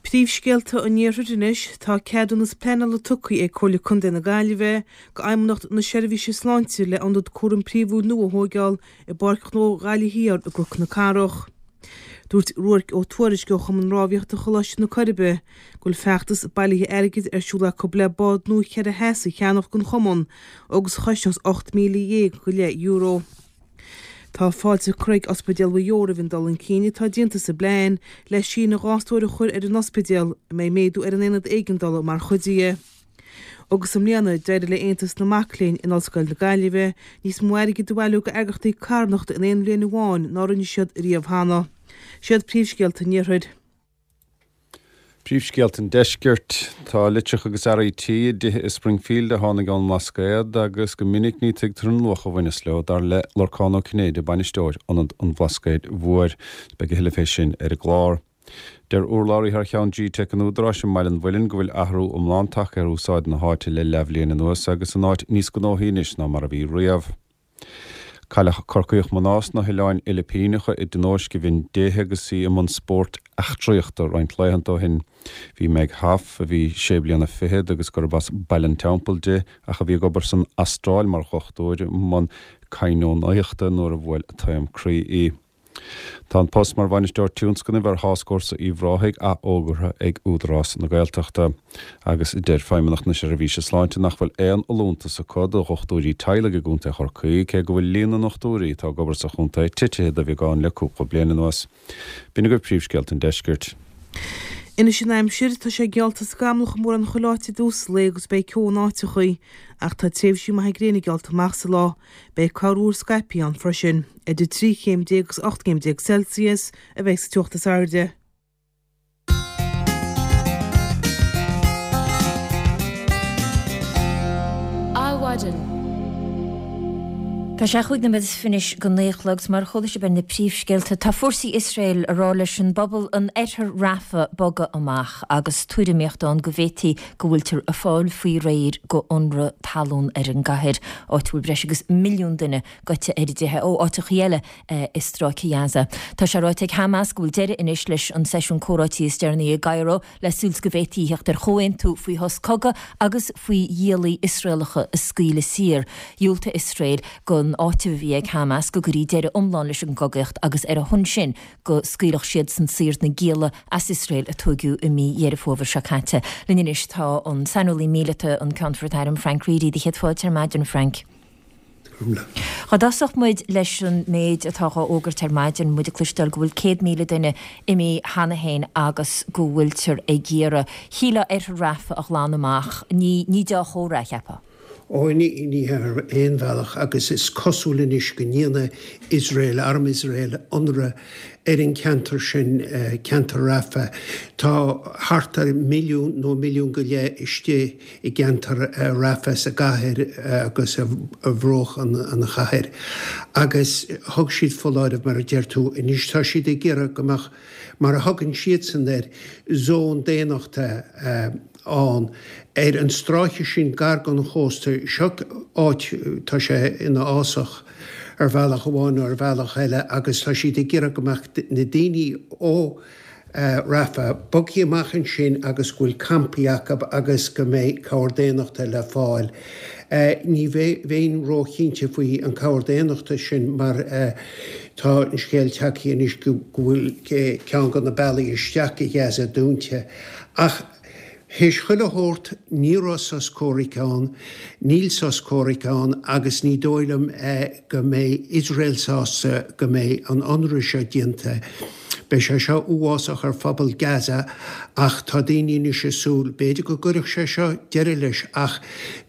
Príomhscéalta an Iarthair anois, Tá ceadúnas pleanála tugtha ag Comhairle Contae na Gaillimhe go Fheidhmeannacht na Seirbhíse Sláinte le ionad cúraim príomhúil nua a thóigeáil i bPáirc Ghnó Ghaillimh Thiar i gCnoc na Cathrach. Dúirt Ruairc Ó Tuairisg ó Chumann Rámhaíochta Choláiste na Coiribe go bhfuil feachtas bailithe airgid ar siúl acu le bád nua cheithre sheas a cheannach don chumann agus a chosnós €18,000 go leith euro. Tá fáilte curtha ag Ospidéal Mhaigh Eo roimh an dul chun cinn atá déanta sa bplean le síneadh 2 stór a chur ar an ospidéal, a mbeidh méadú ar an aonad éigeandála mar chuid de. Agus i mbliana, d'éirigh le Aontas na Mac Léinn in Ollscoil na Gaillimhe níos mó airgid a bhailiú go eagraíochtaí carthanachta in aon bhliain amháin ná rinne siad riamh cheana. Siad príomhscéalta an Iarthair. Príomhscéalta an Deiscirt. Tá litreacha agus earraí tí i dtithe i Springfield a tháinig ón mBlascaod agus go minic ní tuigtear an luach a bhaineas leo, dar le Lorcán Ó Cinnéide, bainisteoir Ionad an Bhlascaoid Mhóir. Beidh a thuilleadh fé sin ar an gclár. Deir urlabhraí thar cheann G-Teic an Údaráis i mBaile an Mhuilinn go bhfuil athrú iomlán tagtha ar úsáid na háite le leathbhliain anuas agus an áit níos gnóthaí anois ná mar a bhí riamh. Cailleadh Corcaíoch mná sna hOileáin Fhilipíneacha i dtionóisc i bhinn déithe agus í i mbun spóirt eachtraíochta roinnt laethanta ó shin. Bhí Meg Hoff, a bhí sé bliana fichead agus gurb as Baile an Teampaill di ach a bhí ag obair san Astráil mar dhochtúir, i mbun cainneonaíochta nuair a bhuail taom croí í. Tá an post mar Bhainisteoir Tionscnaimh ar Tháscfhórsa Uíbh Ráthaigh athfhógartha ag Údarás na Gaeltachta. Agus deir Feidhmeannacht na Seirbhíse Sláinte nach bhfuil aon fholúntas acu do dhochtúirí teaghlaigh i gContae Chorcaí, cé go bhfuil líon na ndochtúirí atá ag obair sa chontae titithe de bheagán le cúpla bliain anuas. B'in agaibh príomhscéalta an deiscirt. Anois an aimsir, tá sé geallta scamallach i mórán chuile áit i dtús an lae agus beidh ceo in áiteachaí, ach tá tréimhsí maithe gréine geallta amach sa lá. Beidh corruair scaipthe ann freisin. Idir 13 chéim agus 18 gcéim Celsius a bheidh sa teocht is airde. Adhmhaidin. Tá sé chúig nóiméad is fiche go naoi a chlog agus mar a chuala sibh ar na príomhscéalta, tá fórsaí Iosrael ag rá leis an bpobal in oirthear Rafah bogadh amach agus tuairimíocht ann go bhféadfaí go bhfuiltear ag fáil faoi réir go ionradh talún ar an gcathair, áit a bhfuil breis agus milliún duine goite ar a dteitheadh ó áiteachaí eile i Stráice Ghaza. Tá sé ráite ag Hamas go bhfuil deireadh anois leis an seisiún comhráití is deireanaí i gCairo le súil 's go bhféadfaí theacht ar chomhaontú faoi shos cogaidh agus faoi ghiallaí Iosraelacha a scaoileadh saor. Dhiúltaigh Iosrael don áiteamh a bhí ag Hamas go gcuirí deireadh iomlán leis an gcogaíocht agus ar a shon sin go scaoilfeadh siadsan saor na gialla as Iosrael a tóigeadh i mí Dheireadh Fómhair seo caite. Linn anois tá an saineolaí míleata, an Ceannfort Airm Frank Reidy. Do chéad fáilte ar maidin, Frank. Dá dtosódh muid leis an méid atá dhá fhógairt ar maidin, muid ag cloisteáil go bhfuil 100,000 duine imithe cheana féin agus go bhfuiltear ag iarraidh, shílfeá, oirthear Rafah a ghlanadh amach. Ní, ní deá-chomhartha é, cheapfá. Ó, ní hea ar aon bhealach agus is cosúil anois go ndéanfaidh Iosrael, arm Iosrael, ionradh ar an cheantar sin, ceantar Rafah. Tá thart ar mhilliún nó milliún go leith istigh i gceantar Rafah sa gcathair agus ar bhruach an chathair. Agus thug siad foláireamh, mar a deir tú. Anois tá siad ag iarraidh go mbeadh, mar a thugann siadsan air, zón daonnachta ann ar an stráice sin gar don chósta. Seo áit, tá sé ina fhásach ar bhealach amháin nó ar bhealach eile agus tá siad ag iarraidh go mbeadh na daoine ó Rafah bogtha amach ansin agus go bhfuil campaí acu agus go mbeidh cabhair daonnachta le fáil. Ní bheinn róchinnte faoi an cabhair daonnachta sin mar tá an scéal tagtha anois go bhfuil ceann de na bealaí isteach go Gaza dúnta. Ach théis chuile shórt, ní raibh sos comhraic ann, níl sos comhraic ann agus ní dóigh liom go mbeidh Iosrael sásta go mbeidh an ionradh seo déanta. Beidh sé seo uafásach ar phobal Gaza ach tá daoine anois ag súil, b'fhéidir go gcuirfeadh sé seo deireadh leis ach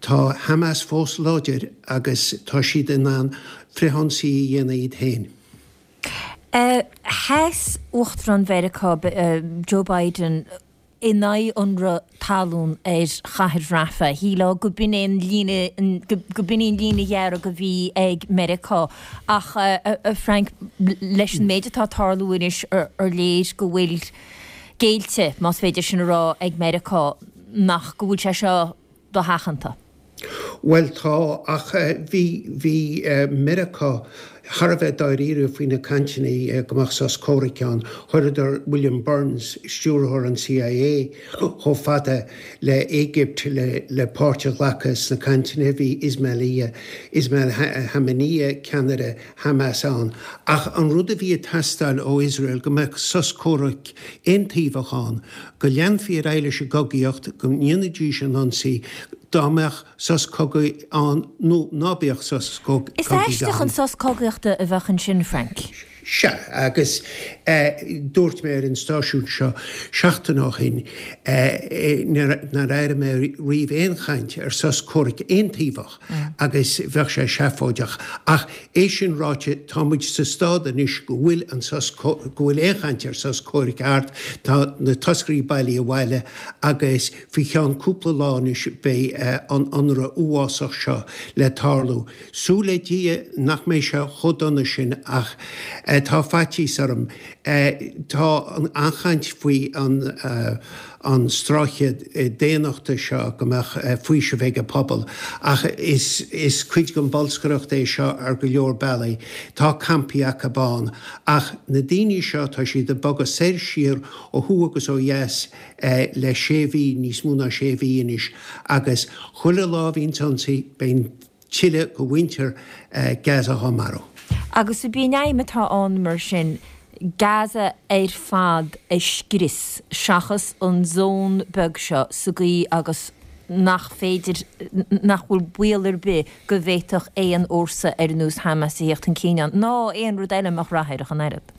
tá Hamas fós láidir agus tá siad in ann frithionsaí a dhéanamh iad féin. Sheas Uachtarán Mheiriceá, Joe Biden, in aghaidh ionradh talún ar chathair Rafah. Shílfeá go b'in é an líne, go b'in í an líne dhearg a bhí ag Meiriceá. Ach, a Frank, leis an méid atá ag tarlú anois, ar léir go bhfuil géillte, más féidir sin a rá, ag Meiriceá nach, go bhfuil sé seo dosheachanta? Bhuel tá, ach bhí, bhí Meiriceá thar a bheith dáiríre faoi na cainteanna go mbeadh sos comhraic ann. Chuireadar William Burns, stiúrthóir an CIA, chomh fada le Éigipt le le páirt a ghlacadh sna cainteanna. Bhí Ismail Ismail Haniyeh, ceannaire Hamas ann. Ach an rud a bhí ag teastáil ó Iosrael go mbeadh sos comhraic aontaobhach ann, go leanfaí ar aghaidh leis an gcogaíocht, go ndéanfaidís an ionsaí, dá mbeadh sos cogaidh ann nó ná beadh sos cogaidh ann. Is aisteach an sos cogaíochta a bheadh ansin, Frank. Sea, agus dúirt mé ar an stáisiún seo seachtain ó shin nár airigh mé riamh aon chaint ar sos comhraic aontaobhach agus bheadh sé seafóideach. Ach é sin ráite, tá muid sa stad anois go bhfuil an sos, go bhfuil aon chaint ar sos comhraic thart, tá na toscairí bailithe abhaile agus faoi cheann cúpla lá anois beidh an ionradh uafásach seo le tarlú. Súil le Dia nach mbeidh sé chomh dona sin ach tá faitíos orm. Tá an-chaint faoi an stráice daonnachta seo, go mbeadh faoiseamh ag an pobal ach is cuid den bholscaireacht é seo ar go leor bealaí. Tá campaí acu ann ach na daoine seo tá siad ag bogadh soir siar ó thuaidh agus ó dheas le sé mhí, níos mó ná sé mhí anois agus chuile lá a bhíonns ionsaí beidh tuilleadh de mhuintir Gaza á marú. Agus ab í an aidhm atá ann mar sin Gaza ar fad a scrios seachas an zón beag seo sa gcaoi agus nach féidir, nach bhfuil baol ar bith go bhféadfadh aon fhórsa ar nós Hamas a theacht chun cinn ann, ná aon rud eile a mbeadh rath air ach an oiread.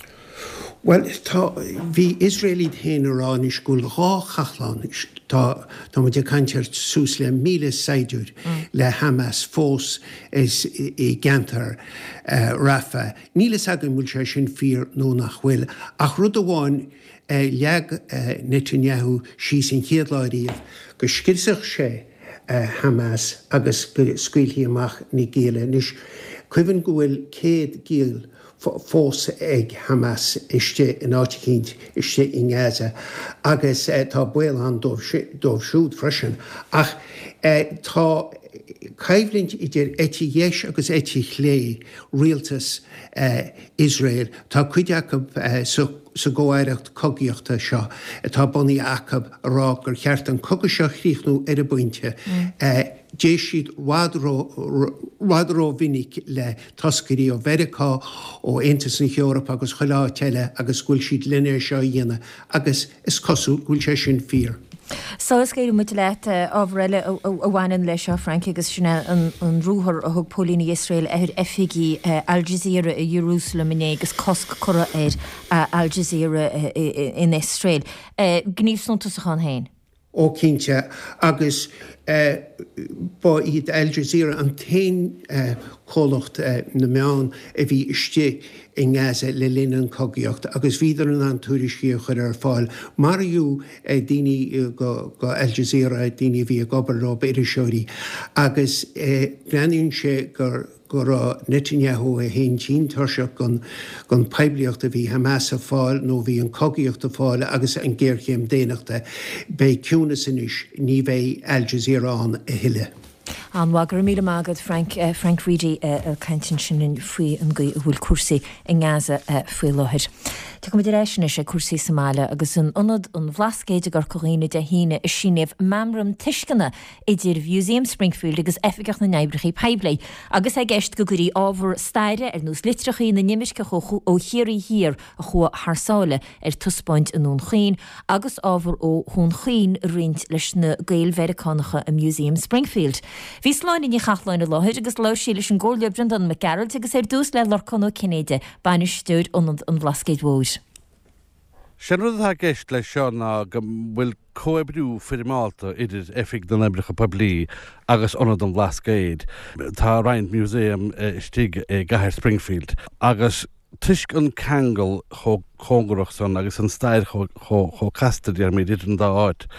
Bhuel, tá, bhí Iosrael iad féin ag rá anois go bhfuil 2 chathlán, tá, tá muid ag caint ar suas le 1,000 saighdiúir le Hamas fós is i gceantar Rafah. Níl fhios againn bhfuil sé sin fíor nó nach bhfuil, ach rud amháin, leag Netanyahu síos an chéad lá riamh go scriosfadh sé Hamas agus go scaoilfí amach na gialla. Anois, cuimhin go bhfuil 100 giall fós ag Hamas istigh in áit eicínt istigh i nGaza agus tá baol ann dóibh siúd freisin. Ach tá coimhlint idir eite dheis agus eite chlé rialtas Iosrael. Tá cuid acu sa gcomh-aireacht cogaíochta seo atá bunaithe acu ag rá gur cheart an cogadh seo a chríochnú ar an bpointe. D'éist siad i bhfad rómhinic le toscairí ó Mheiriceá, ó Aontas na hEorpa agus chuile áit eile agus go bhfuil siad len é seo a dhéanamh agus is cosúil go bhfuil sé sin fíor. Sula scaoilfidh muid leat, ábhar eile a bhaineann leis seo, Frank, agus sin é an ruathar a thug póilíní Iosrael ar oifigí Al Jazeera i Ierúsalem inné agus cosc curtha ar Al Jazeera in Iosrael. Gníomh suntasach ann féin. Ó cinnte, agus ba iad Al Jazeera an t-aon comhlacht na meán a bhí istigh i nGaza le linn an cogaíocht agus bhíodar in ann tuairiscí a chur ar fáil. Maraíodh daoine go Al Jazeera, daoine a bhí ag obair leo, iriseoirí, agus breathnaíonn sé gur go raibh Netanyahu é féin tinn tuirseach den poiblíocht a bhí Hamas ag fáil nó a bhí an cogaíocht ag fáil agus an géarchéim daonnachta. Beidh ciúnas anois, ní bheidh Al Jazeera ann a thuilleadh. An-mhaith, go raibh míle maith agat Frank. Frank Reidy ag caint ansin linn faoi an gcaoi a bhfuil cúrsaí i nGaza faoi láthair. Tiocfaimid ar ais anois ag cúrsaí sa mbaile agus in Ionad an Bhlascaoid i gCorca Dhuibhne Dé hAoine a síníodh Meamram Tuisceana idir Mhuseum Springfield agus Oifigeach na nOibreacha Poiblí, agus é i gceist go gcuirfí ábhar staire ar nós litreacha na n-imirceach ó Chiarraí Thiar a chuaigh thar sáile ar taispeáint i nDún Chaoin agus ábhar ó Dhún Chaoin a roinnt leis na Gaeil-Mheiriceánacha i Museum Springfield. Bhí Sláine Ní Chathalláin i láthair agus labhair sí leis an gComhairleoir Breandán Mac Gearailt agus ar dtús le Lorcán Ó Cinnéide, Bainisteoir Ionad an Bhlascaoid Mhóir. Sé'n rud atá i gceist leis seo ná go bhfuil comhoibriú foirmeálta idir Oifig na nOibreacha Poiblí agus Ionad an Bhlascaoid. Tá roinnt museum istigh i gcathair Springfield agus toisc an ceangal chomh cóngarach san agus an stair chomh casta, déarfaimid, idir an dá áit,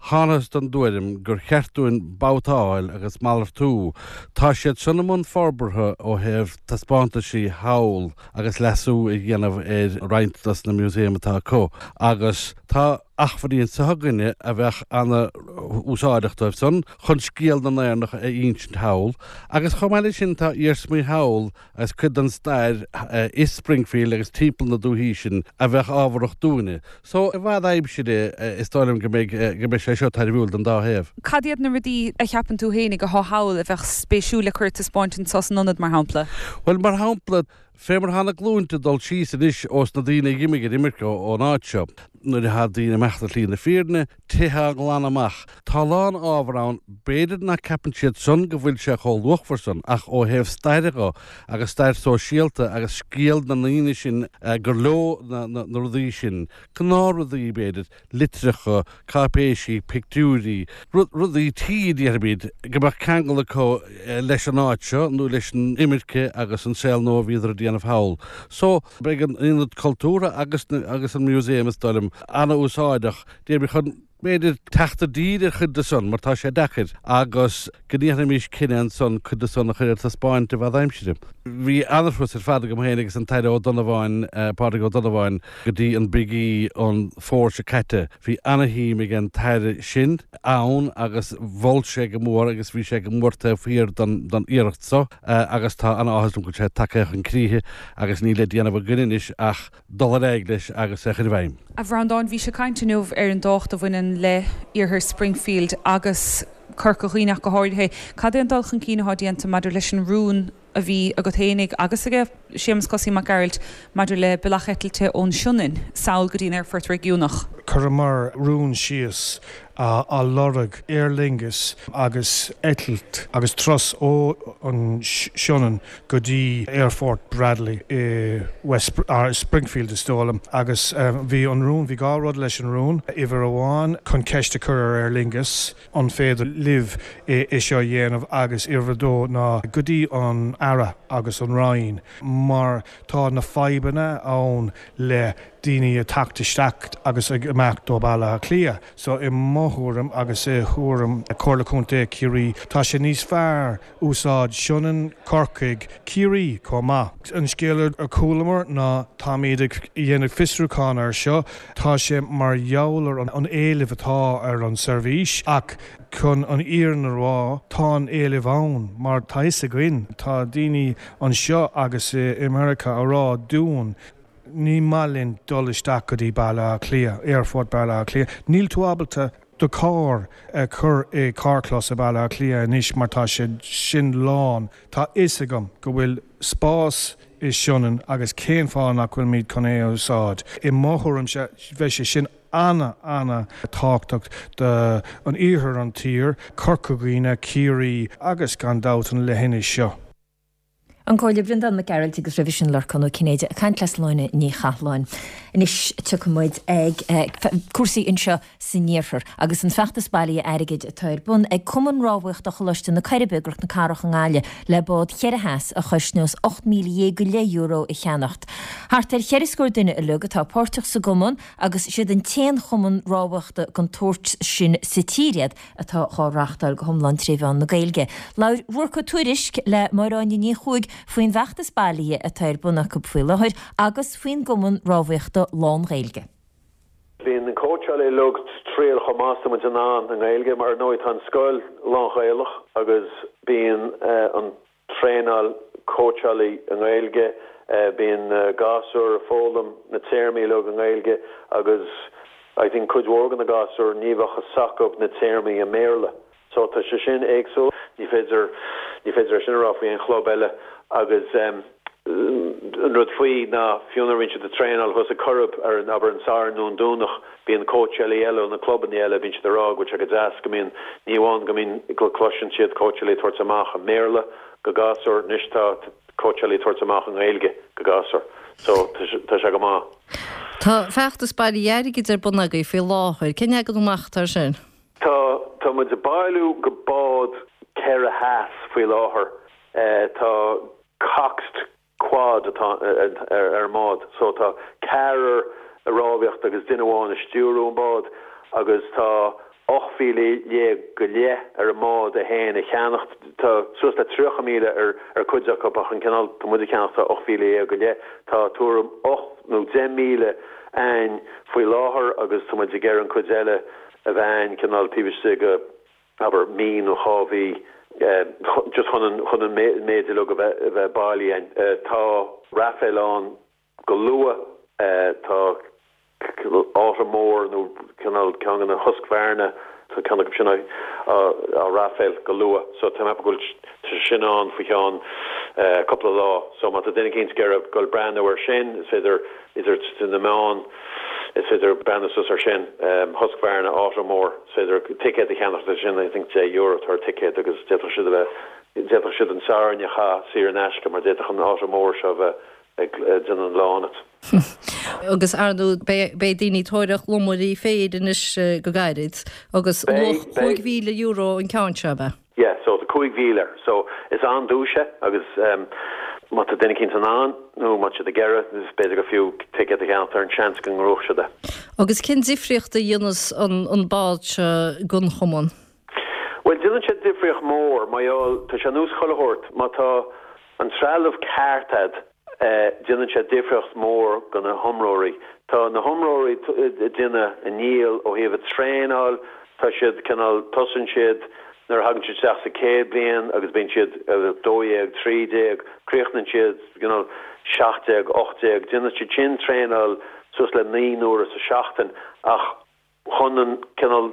thángthas don dtuairim gur cheart dúinn babhtáil agus malartú. Tá siad san i mbun forbartha ó thaobh taispeántaisí thall agus leasú a dhéanamh ar roinnt dos na museum atá acu agus tá achmhainní anseo againne a bheadh ana úsáideach dóibh san chun scéal na nÉireannach a ínsint thall agus chomh maith le sin tá iarsmaí thall agus cuid den stair i Springfield agus timpeall na dúichí sin a bheadh ábharach dúinne. So i bhfad aimsire is dóigh liom go mbeidh go mbeidh sé seo tairbhiúil don dá thaobh. Cad iad na rudaí a cheapann tú fhéinig athá thall a bheadh spéisiúil le cur ar taispeáint anseo san ionad, mar shampla? Bhuel, mar shampla, Fé mar atá na glúinte ag dul síos anois ós na daoine a dh'imigh ar imirce ón áit seo, nuair atá daoine ag imeacht ar shlí na fírinne, tithe á nglanadh amach, tá a lán ábhar ann, b'fhéidir nach ceapann siad san go bhfuil sé chomh luachmhar san ach ó thaobh staire dho agus stair sóisialta agus scéal na ndaoine sin gur leo na rudaí sin, gnáthrudaí b'fhéidir, litreacha, cáipéisí, pictiúirí, rudaí tí a déarfaimid, go mbeadh ceangal acu leis an áit seo nó leis an imirce agus an saol nua a bhíodar ag déanamh thall. So, beidh an Ionad Cultúrtha agus agus an Museum, is dóigh liom, an-úsáideach, déarfaimid, chun, b'fhéidir, teacht i dtír ar chuid de san, mar tá sé deacair, agus go ndéanfaimis cinneadh ansan cuid de san a chur ar taispeáint i bhfad aimsire. Bhí an-turas ar fad agam féin agus an tAire Ó Donnabháin, Pádraig Ó Donnabháin, go dtí an Big E an fómhar seo caite. Bhí ana-shuim ag an tAire sin ann agus mhol sé go mór agus bhí sé go mór taobh thiar den iarracht so agus tá ana-áthas orm go bhfuil sé tagtha chun críche agus níl le déanamh againn anois ach dul ar aghaidh leis agus é a chur i bhfeidhm. A Bhreandáin, bhís ag caint inniu ar an dtábhacht a bhaineann le Iarthar Springfield agus Corca Dhuibhne ach go háirithe. Cad é an dul chun cinn atá déanta maidir leis an rún a bhí agat fhéinig agus aige Séamus Cosaí Mac Gearailt maidir le bealach eitilte ón Sionainn sall go dtí an aerfort réigiúnach? Chuireamar rún síos á lorg Aer Lingus agus eitilt agus turas ó an Sionainn go dtí Aerfort Bradley i West Springfield is dóigh liom agus bhí an rún, bhí dhá rud leis an rún, uimhir amháin chun ceist a chur ar Aer Lingus an féidir libh é seo a dhéanamh agus uimhir a dó ná go dtí an Aire agus an Roinn mar tá na fadhbanna ann le daoine ag teacht isteach agus ag imeacht ó Baile Átha Cliath. So i mo thuairim agus i thuairim Comhairle Contae Chiarraí tá sé níos fearr úsáid Sionainn, Corcaigh, Ciarraí chomh maith. An scéal a chualamar ná táimid ag dhéanamh fiosrúchán air seo, tá sé mar gheall ar an éileamh atá ar an seirbhís ach chun an fhírinne a rá tá an éileamh ann mar tá fhios againn, tá daoine anseo agus i Meiriceá a rá dúinn ní maith linn dul isteach go dtí Baile Átha Cliath, Aerfort Baile Átha Cliath, níl tú ábalta do charr a chur i carrchlós i Baile Átha Cliath anois mar tá sé sin lán. Tá fhios agam go bhfuil spás i Sionainn agus cén fáth nach bhfuilimid chun é a úsáid? I mo thuairimse bheadh sé sin ana ana tábhachtach do an iarthar an tír, Corca Dhuibhne, Ciarraí agus gan dabht an leithinis seo. An Comhairleoir Breandán Mac Gearailt agus roimhe sin Lorcán Ó Cinnéide ag caint le Sláine Ní Chathalláin. Anois tiocfaidh muid ag cúrsaí anseo san iarthar agus an feachtas bailithe airgid atá ar bun ag Cumann Rámhaíochta Choláiste na Coiribe i gCnoc na Cathrach i nGaillimh le bád cheithre theas a chosnós €18,000 go leith euro a cheannacht. Thart ar cheithre scór duine uilig atá páirteach sa gcumann agus siad an t-aon chumann rámhaíochta den tsórt sin sa tír iad atá dhá reáchtáil go hiomlán tré mheán na Gaeilge. Labhair Ruarc Ó Tuairisg le Máire Áine Ní Chuaig faoin bhfeachtas bailithe atá ar bun acu faoi láthair agus faoin gcumann rámhaíochta lán-Ghaeilge. Bíonn an cóitseálaí uilig triail chomh maith is atá muid in ann i nGaeilge mar ar ndóigh tá an scoil lán-Ghaelach agus bíonn an traenáil cóitseálaí i nGaeilge, bíonn na gasúir ag foghlaim na téarmaí uilig i nGaeilge agus I think cuid mhór de na gasúir ní bheadh fhios acu na téarmaí i mBéarla. So tá sé sin éagsúil. Ní féidir, ní féidir é sin a rá faoi aon chlub eile agus an rud faoi ná fiú nuair a bhíonn siad ag traenáil thuas ag Coirib ar an, abair an Satharn nó an Domhnach, bíonn cóitseálaí eile ó na clubanna eile, bíonn siad ag rá go bhfuil sé go deas go mbíonn, ní amháin go mbíonn, go gcloiseann siad cóitseálaí ag tabhairt amach i mBéarla go gasúir, anois tá cóitseálaí ag tabhairt amach i nGaeilge go gasúir. So, tá sé go maith. Tá feachtas bailithe airgid ar bun agaibh faoi láthair. Cén leagan amach atá air sin? Tá, tá muid ag bailiú go bád 4 theas faoi láthair. Tá coxed quad atá ar an mbád so tá ceathrar ag rámhaíocht agus duine amháin ag stiúrú an bád agus tá 18,000 go leith ar an mbád é féin a cheannacht. Tá suas le 30,000 ar ar cuid acu ach an cineál tá muid a cheannacht tá 18,000 go leith. Tá tuairim 8 nó 10,000 a'ainn faoi láthair agus tá muid ag iarraidh an cuid eile a bheith a'ainn cineál taobh istigh de abair, mí nó dhá mhí, just chun an, chun an méid uilig a bheith, a bheith bailithe a'ainn. Tá raffle ann go luath, tá auto mór nó cineál ceann de na Husqvarna, tá ceann acu sin á, á raffle go luath. So tá mé ag ceapadh go bhfuil, tá sé sin ann faoi cheann. cúpla lá. So má tá duine eicínt ag iarraidh dul breathnú ar sin, is féidir idir na meáin, is féidir breathnú suas ar sin. Husqvarna Automore, is féidir ticéad a cheannacht ar sin, I think €10 atá ar ticéad agus d'fhéadfadh siad a bheith, d'fhéadfadh siad an Satharn a chaitheamh saor in aisce mar d'fhéadfadh an Automore seo a bheith ag déanamh an lá ionat. Agus ar ndóigh beidh daoine ag tóraíocht lomairí féir anois go gairid agus luach €5,000 an ceann seo, ab ea? Yeah, so tá 5,000 air. So is an-duais é agus má tá duine eicínt in ann nó má tá siad ag iarraidh, is b'fhéidir gur fiú ticéad a cheannacht ar an seans go ngnóthóidh siad é. Agus cén difríocht a dhéanas an bád seo don chumann? Bhuel, déanann sé difríocht mór mar gheall, tá sé ar nós chuile shórt, má tá an trealamh ceart a'd, déanann sé difríocht mór go na hiomróirí. Tá na hiomróirí ag déanamh a ndícheall ó thaobh a traenáil, tá siad cineál, tosaíonn siad nuair a thagann siad isteach sa chéad bliain agus bíonn siad 12, 13, críochnaíonn siad cineál 17, 18, déanann siad sin traenáil suas le 9 n-uaire sa seachtain ach chun an cineál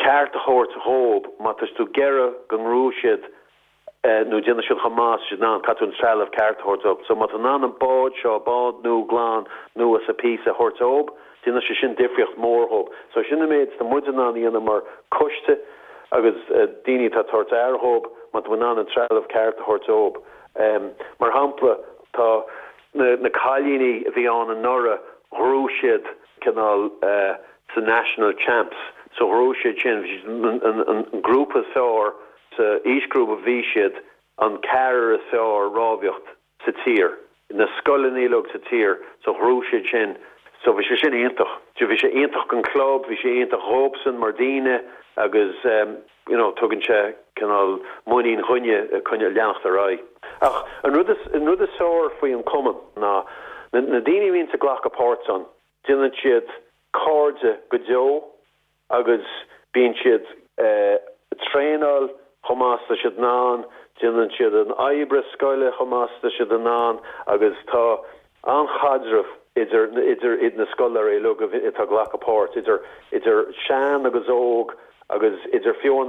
ceart a thabhairt dhób, má tá tú ag iarraidh go ngnóthóidh siad nó déanfaidh siad chomh maith is siad in ann, caithfidh tú an trealamh ceart a thabhairt dóibh. So má tá in ann an bád seo, bád nua glan nua sa píosa a thabhairt dóibh, déanfaidh sé sin difríocht mhór dhóibh. So sin an méid atá muid in ann a dhéanamh mar coiste agus daoine atá ag tabhairt aire dhóibh, má tá in ann an trealamh ceart a thabhairt dóibh. Mar shampla, tá na cailíní a bhí ann anuraidh, ghnóthaigh siad cineál sa National Champs, so ghnóthaigh siad sin, bhí siad an grúpa is fearr sa aoisghrúpa bhí siad an ceathrar is fearr rámhaíocht sa tír, na scoileanna uilig sa tír, so ghnóthaigh siad sin, so bhí sé sin iontach. Bhí sé iontach don club, bhí sé iontach dhóibhsan mar daoine agus you know tugann sé cineál muinín dhuine coinne leanacht ar aghaidh. Ach an rud is, an rud is fearr faoi an cumann ná na, na daoine a bhíonns ag glacadh páirt ann, déanann siad cairde go deo agus bíonn siad ag traenáil chomh maith is tá siad in ann, déanann siad an oibre scoile chomh maith is tá siad in ann agus tá an-chaidreamh idir idir na scoláirí uilig atá ag glacadh páirt, idir idir sean agus óg agus idir fiú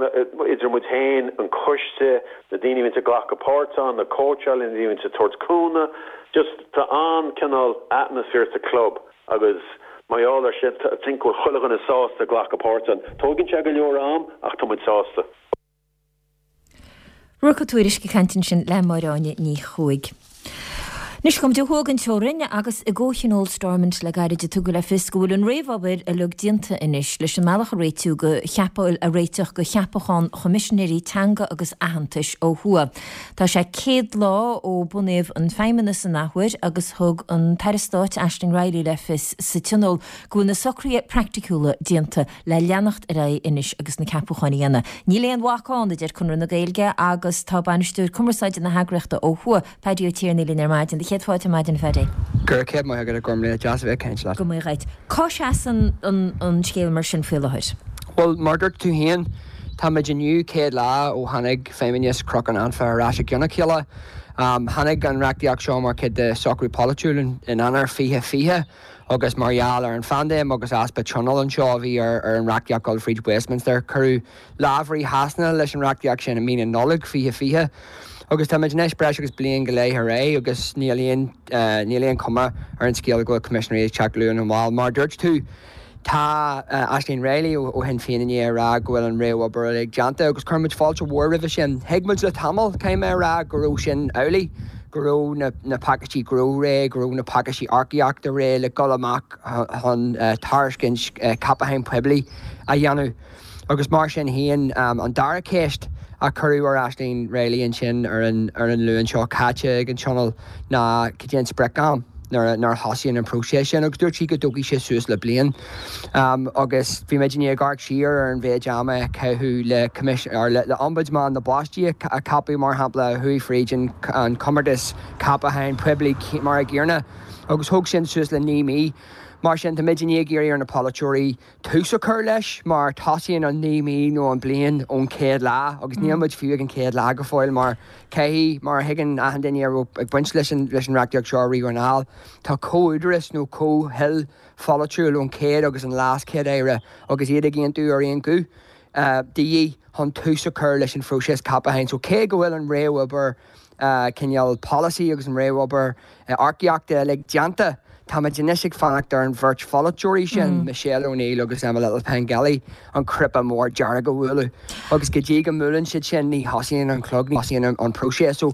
idir muid féin, an coiste, na daoine a bhíonns ag glacadh páirt ann, na cóitseálaithe, na daoine a bhíonns ag tabhairt cúnamh, just tá an-cineál atmosphere sa club agus mar gheall ar sin I think go bhfuil chuile dhuine sásta glacadh páirt ann. Tóigeann sé go leor am ach tá muid sásta. Ruairc Ó Tuairisg ag caint ansin le Máire Áine Ní Chuaig. Anois gabhfaidh muid ó thuaidh den teorainn agus i gcomhthionól Stormont le gairid a tugadh le fios go bhfuil an réamhobair uilig déanta anois leis an mbealach a réitiú go cheapadh a réiteach go cheapachán Choimisinéirí Teanga agus Aitheantais ó thuaidh. Tá sé 100 lá ó bunaíodh an Feidhmeannas an athuair agus thug an tAire Stáit Aisling Reilly le fios sa Tionól go bhfuil na socruithe praiticiúla déanta le leanacht ar aghaidh anois agus na ceapúcháin a dhéanamh. Níl aon bhac ann, a deir Conradh na Gaeilge agus tá Bainisteoir Cumarsáide na heagraíochta ó thuaidh, Paddy Ó Tiarnaigh linn ar maidin. Do chéad fáilte ar maidin, a Phaddy. Go raibh céad maith agat a Ghormlaith, deas a bheith ag caint leat. Go maith dhuit. Cá seasann an scéal mar sin faoi láthair? Bhuel, mar a dúirt tú féin, táimid inniu 100 lá ó tháinig Feidhmeannas Chnoc an Anfa ar ais i gcionn a chéile. Tháinig an reachtaíocht seo mar chuid de socrú polaitiúil in Eanáir 2020. Agus mar gheall ar an phaindéim agus easpa tionóil anseo a bhí ar an reachtaíocht dul fríd Westminster, cuireadh lámh trasna leis an reachtaíocht sin i mí na Nollag 2020. Agus táimid anois breis agus bliain go leith ar aghaidh agus níl aon níl aon chuma ar an scéal go bhfuil coimisinéirí ag teacht luath nó mall. Mar a dúirt tú, Tá Aisling Reilly ó Shinn Féin i ndiaidh a rá go bhfuil an réamhobair uilig déanta agus chuir muid fáilte mhór roimhe sin. Thuig muid le tamall, caithfidh mé a rá, go raibh sin amhlaidh, go raibh na pacáistí gnó réidh, go raibh na pacáistí earcaíochta réidh le dul amach chun tairiscint ceapacháin poiblí a dhéanamh. Agus mar sin féin, an dara ceist a cuireadh ar Aisling Reilly ansin ar an Luan seo caite ag an Tionól ná cad é an sprioc-am nuair a thosaíonn an próiseas sin agus dúirt sí go dtógfaidh sé suas le bliain. Agus bhí muid i ndiaidh amharc siar ar an mhéid ama a caitheadh le or le Ombudsman na bPáistí a ceapadh mar shampla a chuaigh fríd an comórtas ceapacháin poiblí mar a gcéanna agus thóg sin suas le 9 mí. Mar sin tá muid i ndiaidh iarraidh ar na polaiteoirí tús a chur leis mar tosaíonn an 9 mí nó an bliain ón chéad lá agus níl muid fiú ag an chéad lá go fóill mar caithfidh, mar a thuigeann achan duine a raibh ag baint leis an leis an reachtaíocht seo riamh anall, tá comh-údaras nó comhthoil pholaitiúil ón chéad agus an leas-chéad-aire agus iad ag aontú ar aon ghuth de dhíth chun tús a chur leis an phróiseas ceapacháin. So cé go bhfuil an réamhobair. cineál polasaí agus an réamhobair earcaíochta uilig déanta. Táimid anois ag fanacht ar an bheirt pholaiteoirí sin, Michelle O'Neill agus Emma Little-Pengelly, an cnaipe mór dearg a bhualadh. Agus go dtí go mbuaileann siad sin, ní thosaíonn an clog, ní thosaíonn an próiseas. So,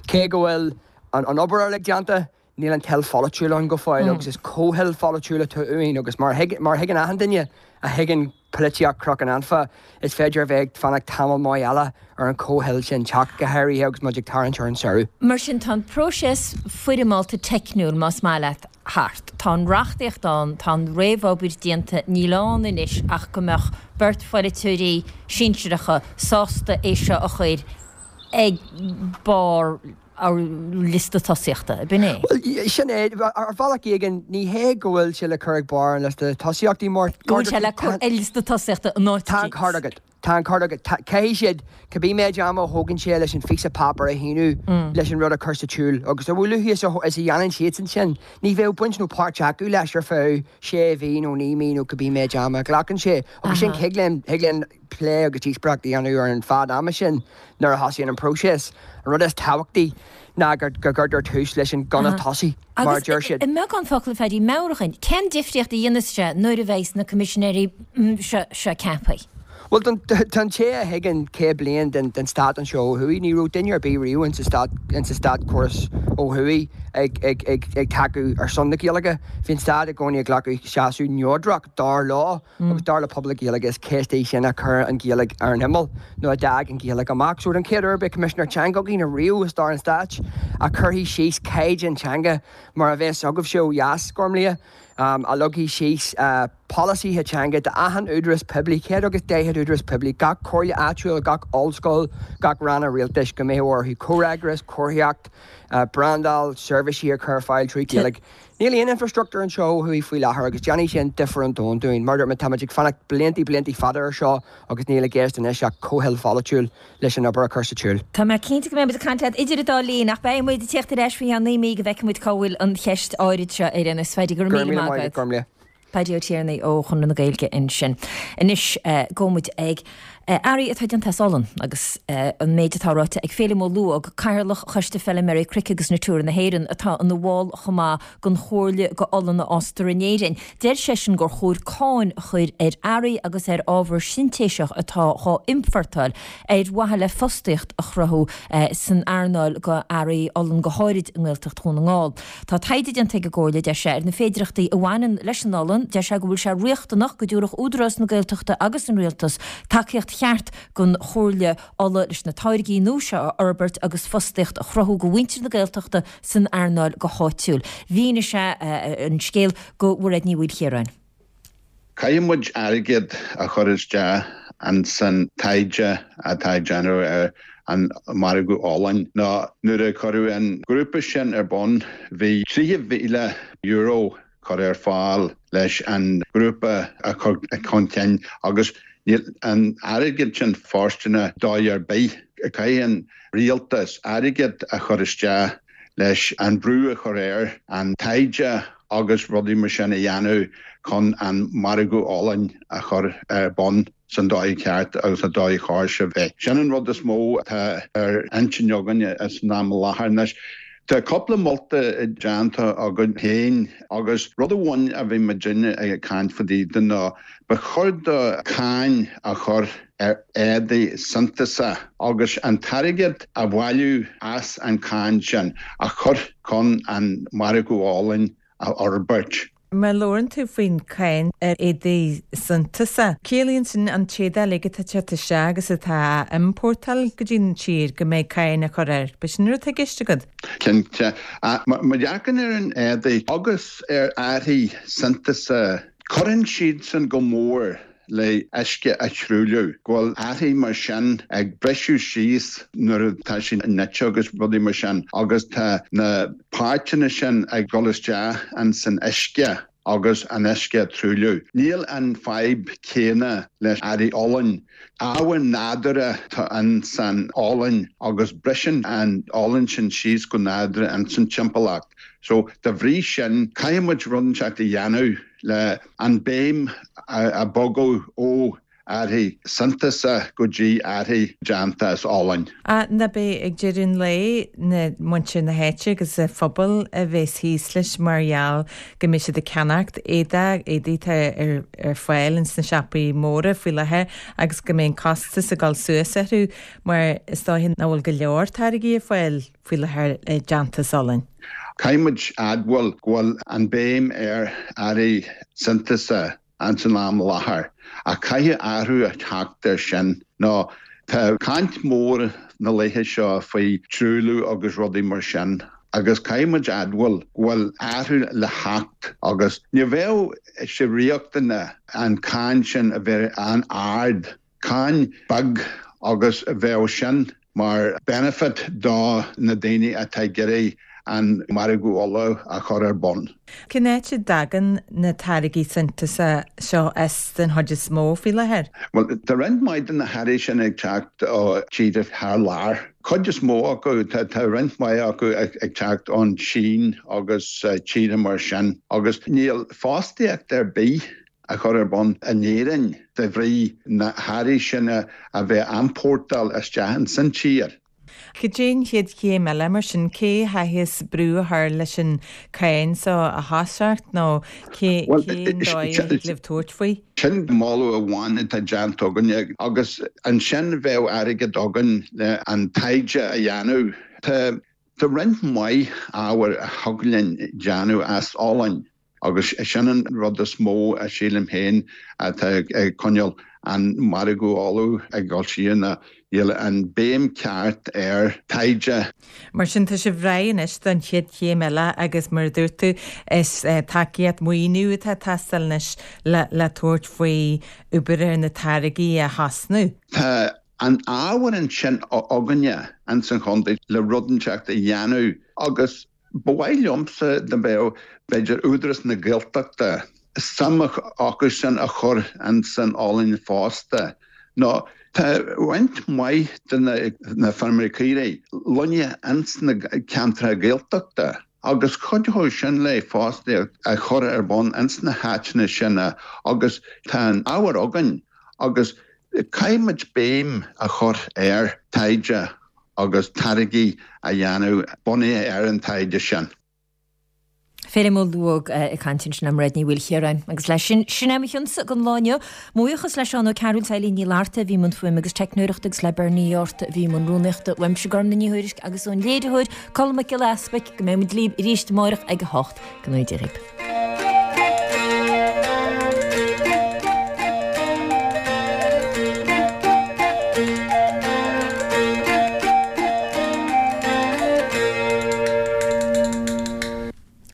cé go bhfuil an obair uilig déanta, níl an toil pholaitiúil ann go fóill agus is comhthoil pholaitiúil atá uainn agus mar a thuigeann achan duine a thuigeann polaitíocht Chnoc an Anfa, is féidir a bheith ag fanacht tamall maith eile ar an chomhthoil sin teacht, go háirithe agus muid ag tarraingt ar an samhradh. Mar sin, tá an próiseas foirmeálta teicniúil, más maith leat, thart. Tá an reachtaíocht ann, tá an réamhobair déanta, níl ann anois ach go mbeadh beirt pholaiteoirí sinsearacha sásta é seo a chur ag barr an liosta tosaíochta, ab in é? Bhuel, sin é. Ar bhealach éigin, ní hé go bhfuil sé le cur ag barr an liosta tosaíochtaí mar. Go bhfuil sé le cur ar liosta tosaíochta in áit Tá an ceart agat. Tá an ceart agat. Caithfidh siad, cibé méid ama a thógann sé leis an phíosa páipéir a shíniú leis an rud a chur sa tsiúl agus a luaithe is a dhéanann siadsan sin, ní bheadh baint nó páirt acu leis ar feadh sé mhí nó 9 mí nó cibé méid ama a ghlacann sé. Agus sin, thig linn, thig linn plé agus díospóireacht a dhéanamh ar an fad ama sin nuair a thosaíonn an próiseas. An rud is tábhachtaí ná go gcuirtear tús leis an gunna tosaigh, mar a deir siad. Agus i mbeagán focal, a Phaddy, meabhraigh dhúinn, cén difríocht a dhéanfas sé nuair a bheidhs na coimisinéirí seo ceaptha? Bhuel, don té a thuigeann 100 bliain den stát anseo ó thuaidh, ní raibh duine ar bith riamh insa stát, insa státchóras ó thuaidh ag tacú ar son na Gaeilge. Bhí an stát i gcónaí ag glacadh seasamh neodrach, dar leo. Agus dar le pobal na Gaeilge is ceist í sin a chuir an Ghaeilge ar an imeall, nó a d'fhág an Ghaeilge amach. So don chéad uair beidh Coimisinéir Teanga againn ariamh i stair an stáit a chuirfidh síos caighdeán teanga mar a bheas agaibhse ó dheas, Gormlaith, a leagfaidh síos polasaithe teanga d'achan údarás poiblí, 140 údarás poiblí, gach comhairle áitiúil, gach ollscoil, gach ranna rialtais, go mbeadh orthu comhfhreagras, comharthaíocht, brandáil, seirbhísí a chur ar fáil trí Ghaeilge. Níl aon infreastruchtúr anseo ó thuaidh faoi láthair agus déanfaidh sin difear an domhain dúinn. Mar a dúirt mé, táimid ag fanacht bliantaí, bliantaí fada air seo agus níl i gceist anois ach comhthoil pholaitiúil leis an obair a chur sa tsiúl. Tá mé cinnte go mbeidh muid ag caint leat idir an dá linn ach beidh muid ag tíocht ar ais faoi cheann 9 mí go bhfeicfidh muid cá bhfuil an cheist áirid seo ar aon nós. Phaddy, go raibh míle maith agat. Gormlaith. Paddy Ó Tiarnaigh ó Chonradh na Gaeilge ansin. Anois gabhfaidh muid ag earraí atá déanta as olann agus an méid atá ráite ag Féilim Ó Lubhóg, Cathaoirleach Choiste Feilméaraí Cnoic agus Natura na hÉireann, atá ina bhall chomh maith den Chomhairle go Olann a Fhástar in Éirinn. Deir seisean gur chóir cáin a chur ar earraí agus ar ábhar sintéiseach atá dhá iompórtáil ar mhaithe le fostaíocht a chruthú san earnáil go earraí olann go háirid i nGaeltacht Dhún na nGall. Tá taighde déanta ag an gComhairle, deir sé, ar na féidireachtaí a bhaineann leis an olann. Deir sé go bhfuil sé riachtanach go dtabharfadh Údarás na Gaeltachta agus an Rialtas tacaíocht cheart don Chomhairle Olla leis na táirgí nua seo a fhorbairt agus fostaíocht a chruthú go mhuintir na Gaeltachta san earnáil go háitiúil. Mhínigh sé an scéal go Mhairéad Ní Mhaoilchiaráin. Caithfidh muid airgead a chur isteach ins an taighde atá ag déanamh ar an margadh olainn. Nó nuair a cuireadh an grúpa sin ar bun bhí €30,000 curtha ar fáil leis an grúpa a chur chun cinn agus níl an airgead sin fóirsteanach dóigh ar bith. Caithfidh an rialtas airgead a chur isteach leis an brú a chur air an taighde agus rudaí mar sin a dhéanamh chun an margadh olainn a chur ar bun san dóigh cheart agus an dóigh chóir sé bheith. Sin an rud is mó atá ar intinn againn san am i láthair anois. Tá cúpla molta déanta againn féin agus rud amháin a bhí muidinne ag caint fá dtaobh de ná ba chóir do cáin a chur ar éadaí sintéiseacha agus an t-airgead a bhailiú as an cáin sin a chur chun an margadh olainn a fhorbairt. Má labhrann tú faoin cáin ar éadaí sintéiseacha, ciallaíonn sin an t-éadach uilig atá ag teacht isteach agus atá á iompórtáil go dtí an tír go mbeidh cáin á chur air. B'é sin an rud atá i gceist agat? Cinnte. Má dhearcann ar an éadaí agus ar earraí sintéiseacha, cuireann siadsan go mór le uisce a thruailliú, go bhfuil earraí mar sin ag briseadh síos nuair atá siad nite agus rudaí mar sin agus tá na páirteanna sin ag dul isteach ins an uisce agus an uisce a truailliú. Níl an fadhb céanna le earraí olainn. Ábhar nádúrtha atá ins an olann agus briseann an olann sin síos go nádúrtha ins an timpeallacht. So, dá bhrí sin, caithfidh muid rud inteacht a dhéanamh le an béim a bogadh ó. earraí sintiúsa go dtí earraí déanta as olann. Ach nach b'é ag deireadh an lae na muintir na háite agus an phobal a bheas thíos leis mar gheall go mbeidh siad ag ceannacht éadaí, éadaí atá ar fáil ins na siopaí móra faoi láthair agus go mbeidh an costas ag dul suas orthu mar is dóiche nach bhfuil go leor táirgí ar fáil faoi láthair déanta as olann. Caithfidh muid admháil go bhfuil an béim ar earraí sintiúsa ins an am i láthair, ach caithfidh athrú a theacht air sin nó tá caint mór na laethe seo faoi truailliú agus rudaí mar sin agus caithfidh muid admháil go bhfuil athrú le theacht agus ní bheadh sé riachtanach an cáin sin a bheith an-ard. Cáin beag agus bheadh sin mar benefit do na daoine atá ag iarraidh an margadh olla a chur ar bun. Cén áit a dtagann na táirgí sintiúsa seo as den chuid is mó faoi láthair? Bhuel, tá roinnt mhaith de na hearraí sin ag teacht ó tíortha thar lear. Cuid is mó acu, tá roinnt mhaith acu ag teacht ón tSín agus tíortha mar sin agus níl fostaíocht ar bith a chur ar bun in Éirinn de bhrí na hearraí sin a bheith á n-iompórtáil isteach ins an tír. Cad é an chéad chéim eile mar sin? Cé a chaithfeas brú a chur leis an cáin seo a thoiseacht nó cé cén dóigh a thig libh tabhairt faoi? Sin moladh amháin atá déanta againne agus ansin bheadh airgead againn le an taighde a dhéanamh. Tá roinnt mhaith ábhair a thig linn déanamh as olann. Agus sin an rud is mó a sílim féin atá ag coinneáil an margadh olla ag dul siar ná níl an béim ceart ar taighde. Mar sin tá sibh réidh anois don chéad chéim eile agus mar a dúirt tú is tacaíocht, maoiniú atá ag teastáil anois le le tabhairt faoi obair ar na táirgí a thosnú. Tá an ábhar ansin againne ins an chontae le rud inteacht a dhéanamh agus Ba mhaith liomsa dá mbeadh, b'fhéidir, Údarás na Gaeltachta, suim acu sin a chur ins an olann fosta. Nó tá roinnt mhaith de na feirmeoirí caoirigh lonnaithe ins na ceantracha Gaeltachta agus chuideodh sin le fostaíocht a chur ar bun ins na háiteanna sin agus tá an ábhar againn agus caithfidh muid béim a chur ar taighde agus táirgí a dhéanamh bunaithe ar an taighde sin. Féilim Ó Lubhóg ag caint ansin le Mairéad Ní Mhaoilchiaráin. Agus leis sin, sin é mo chionsa don lá inniu. Mo bhuíochas le Seán Ó Cearúil, Eilín Ní Fhlatharta a bhí i mbun fuaime agus teicneoireachta agus le Bernie Ó Hárta a bhí i mbun rúnaíochta. Uaimse Gormfhlaith Ní Thuairisg agus ón léiritheoir Colm Mac Giolla Easpaig go mbeidh muid libh arís amárach ag a 8. Go ngnóthaí Dia dhaoibh.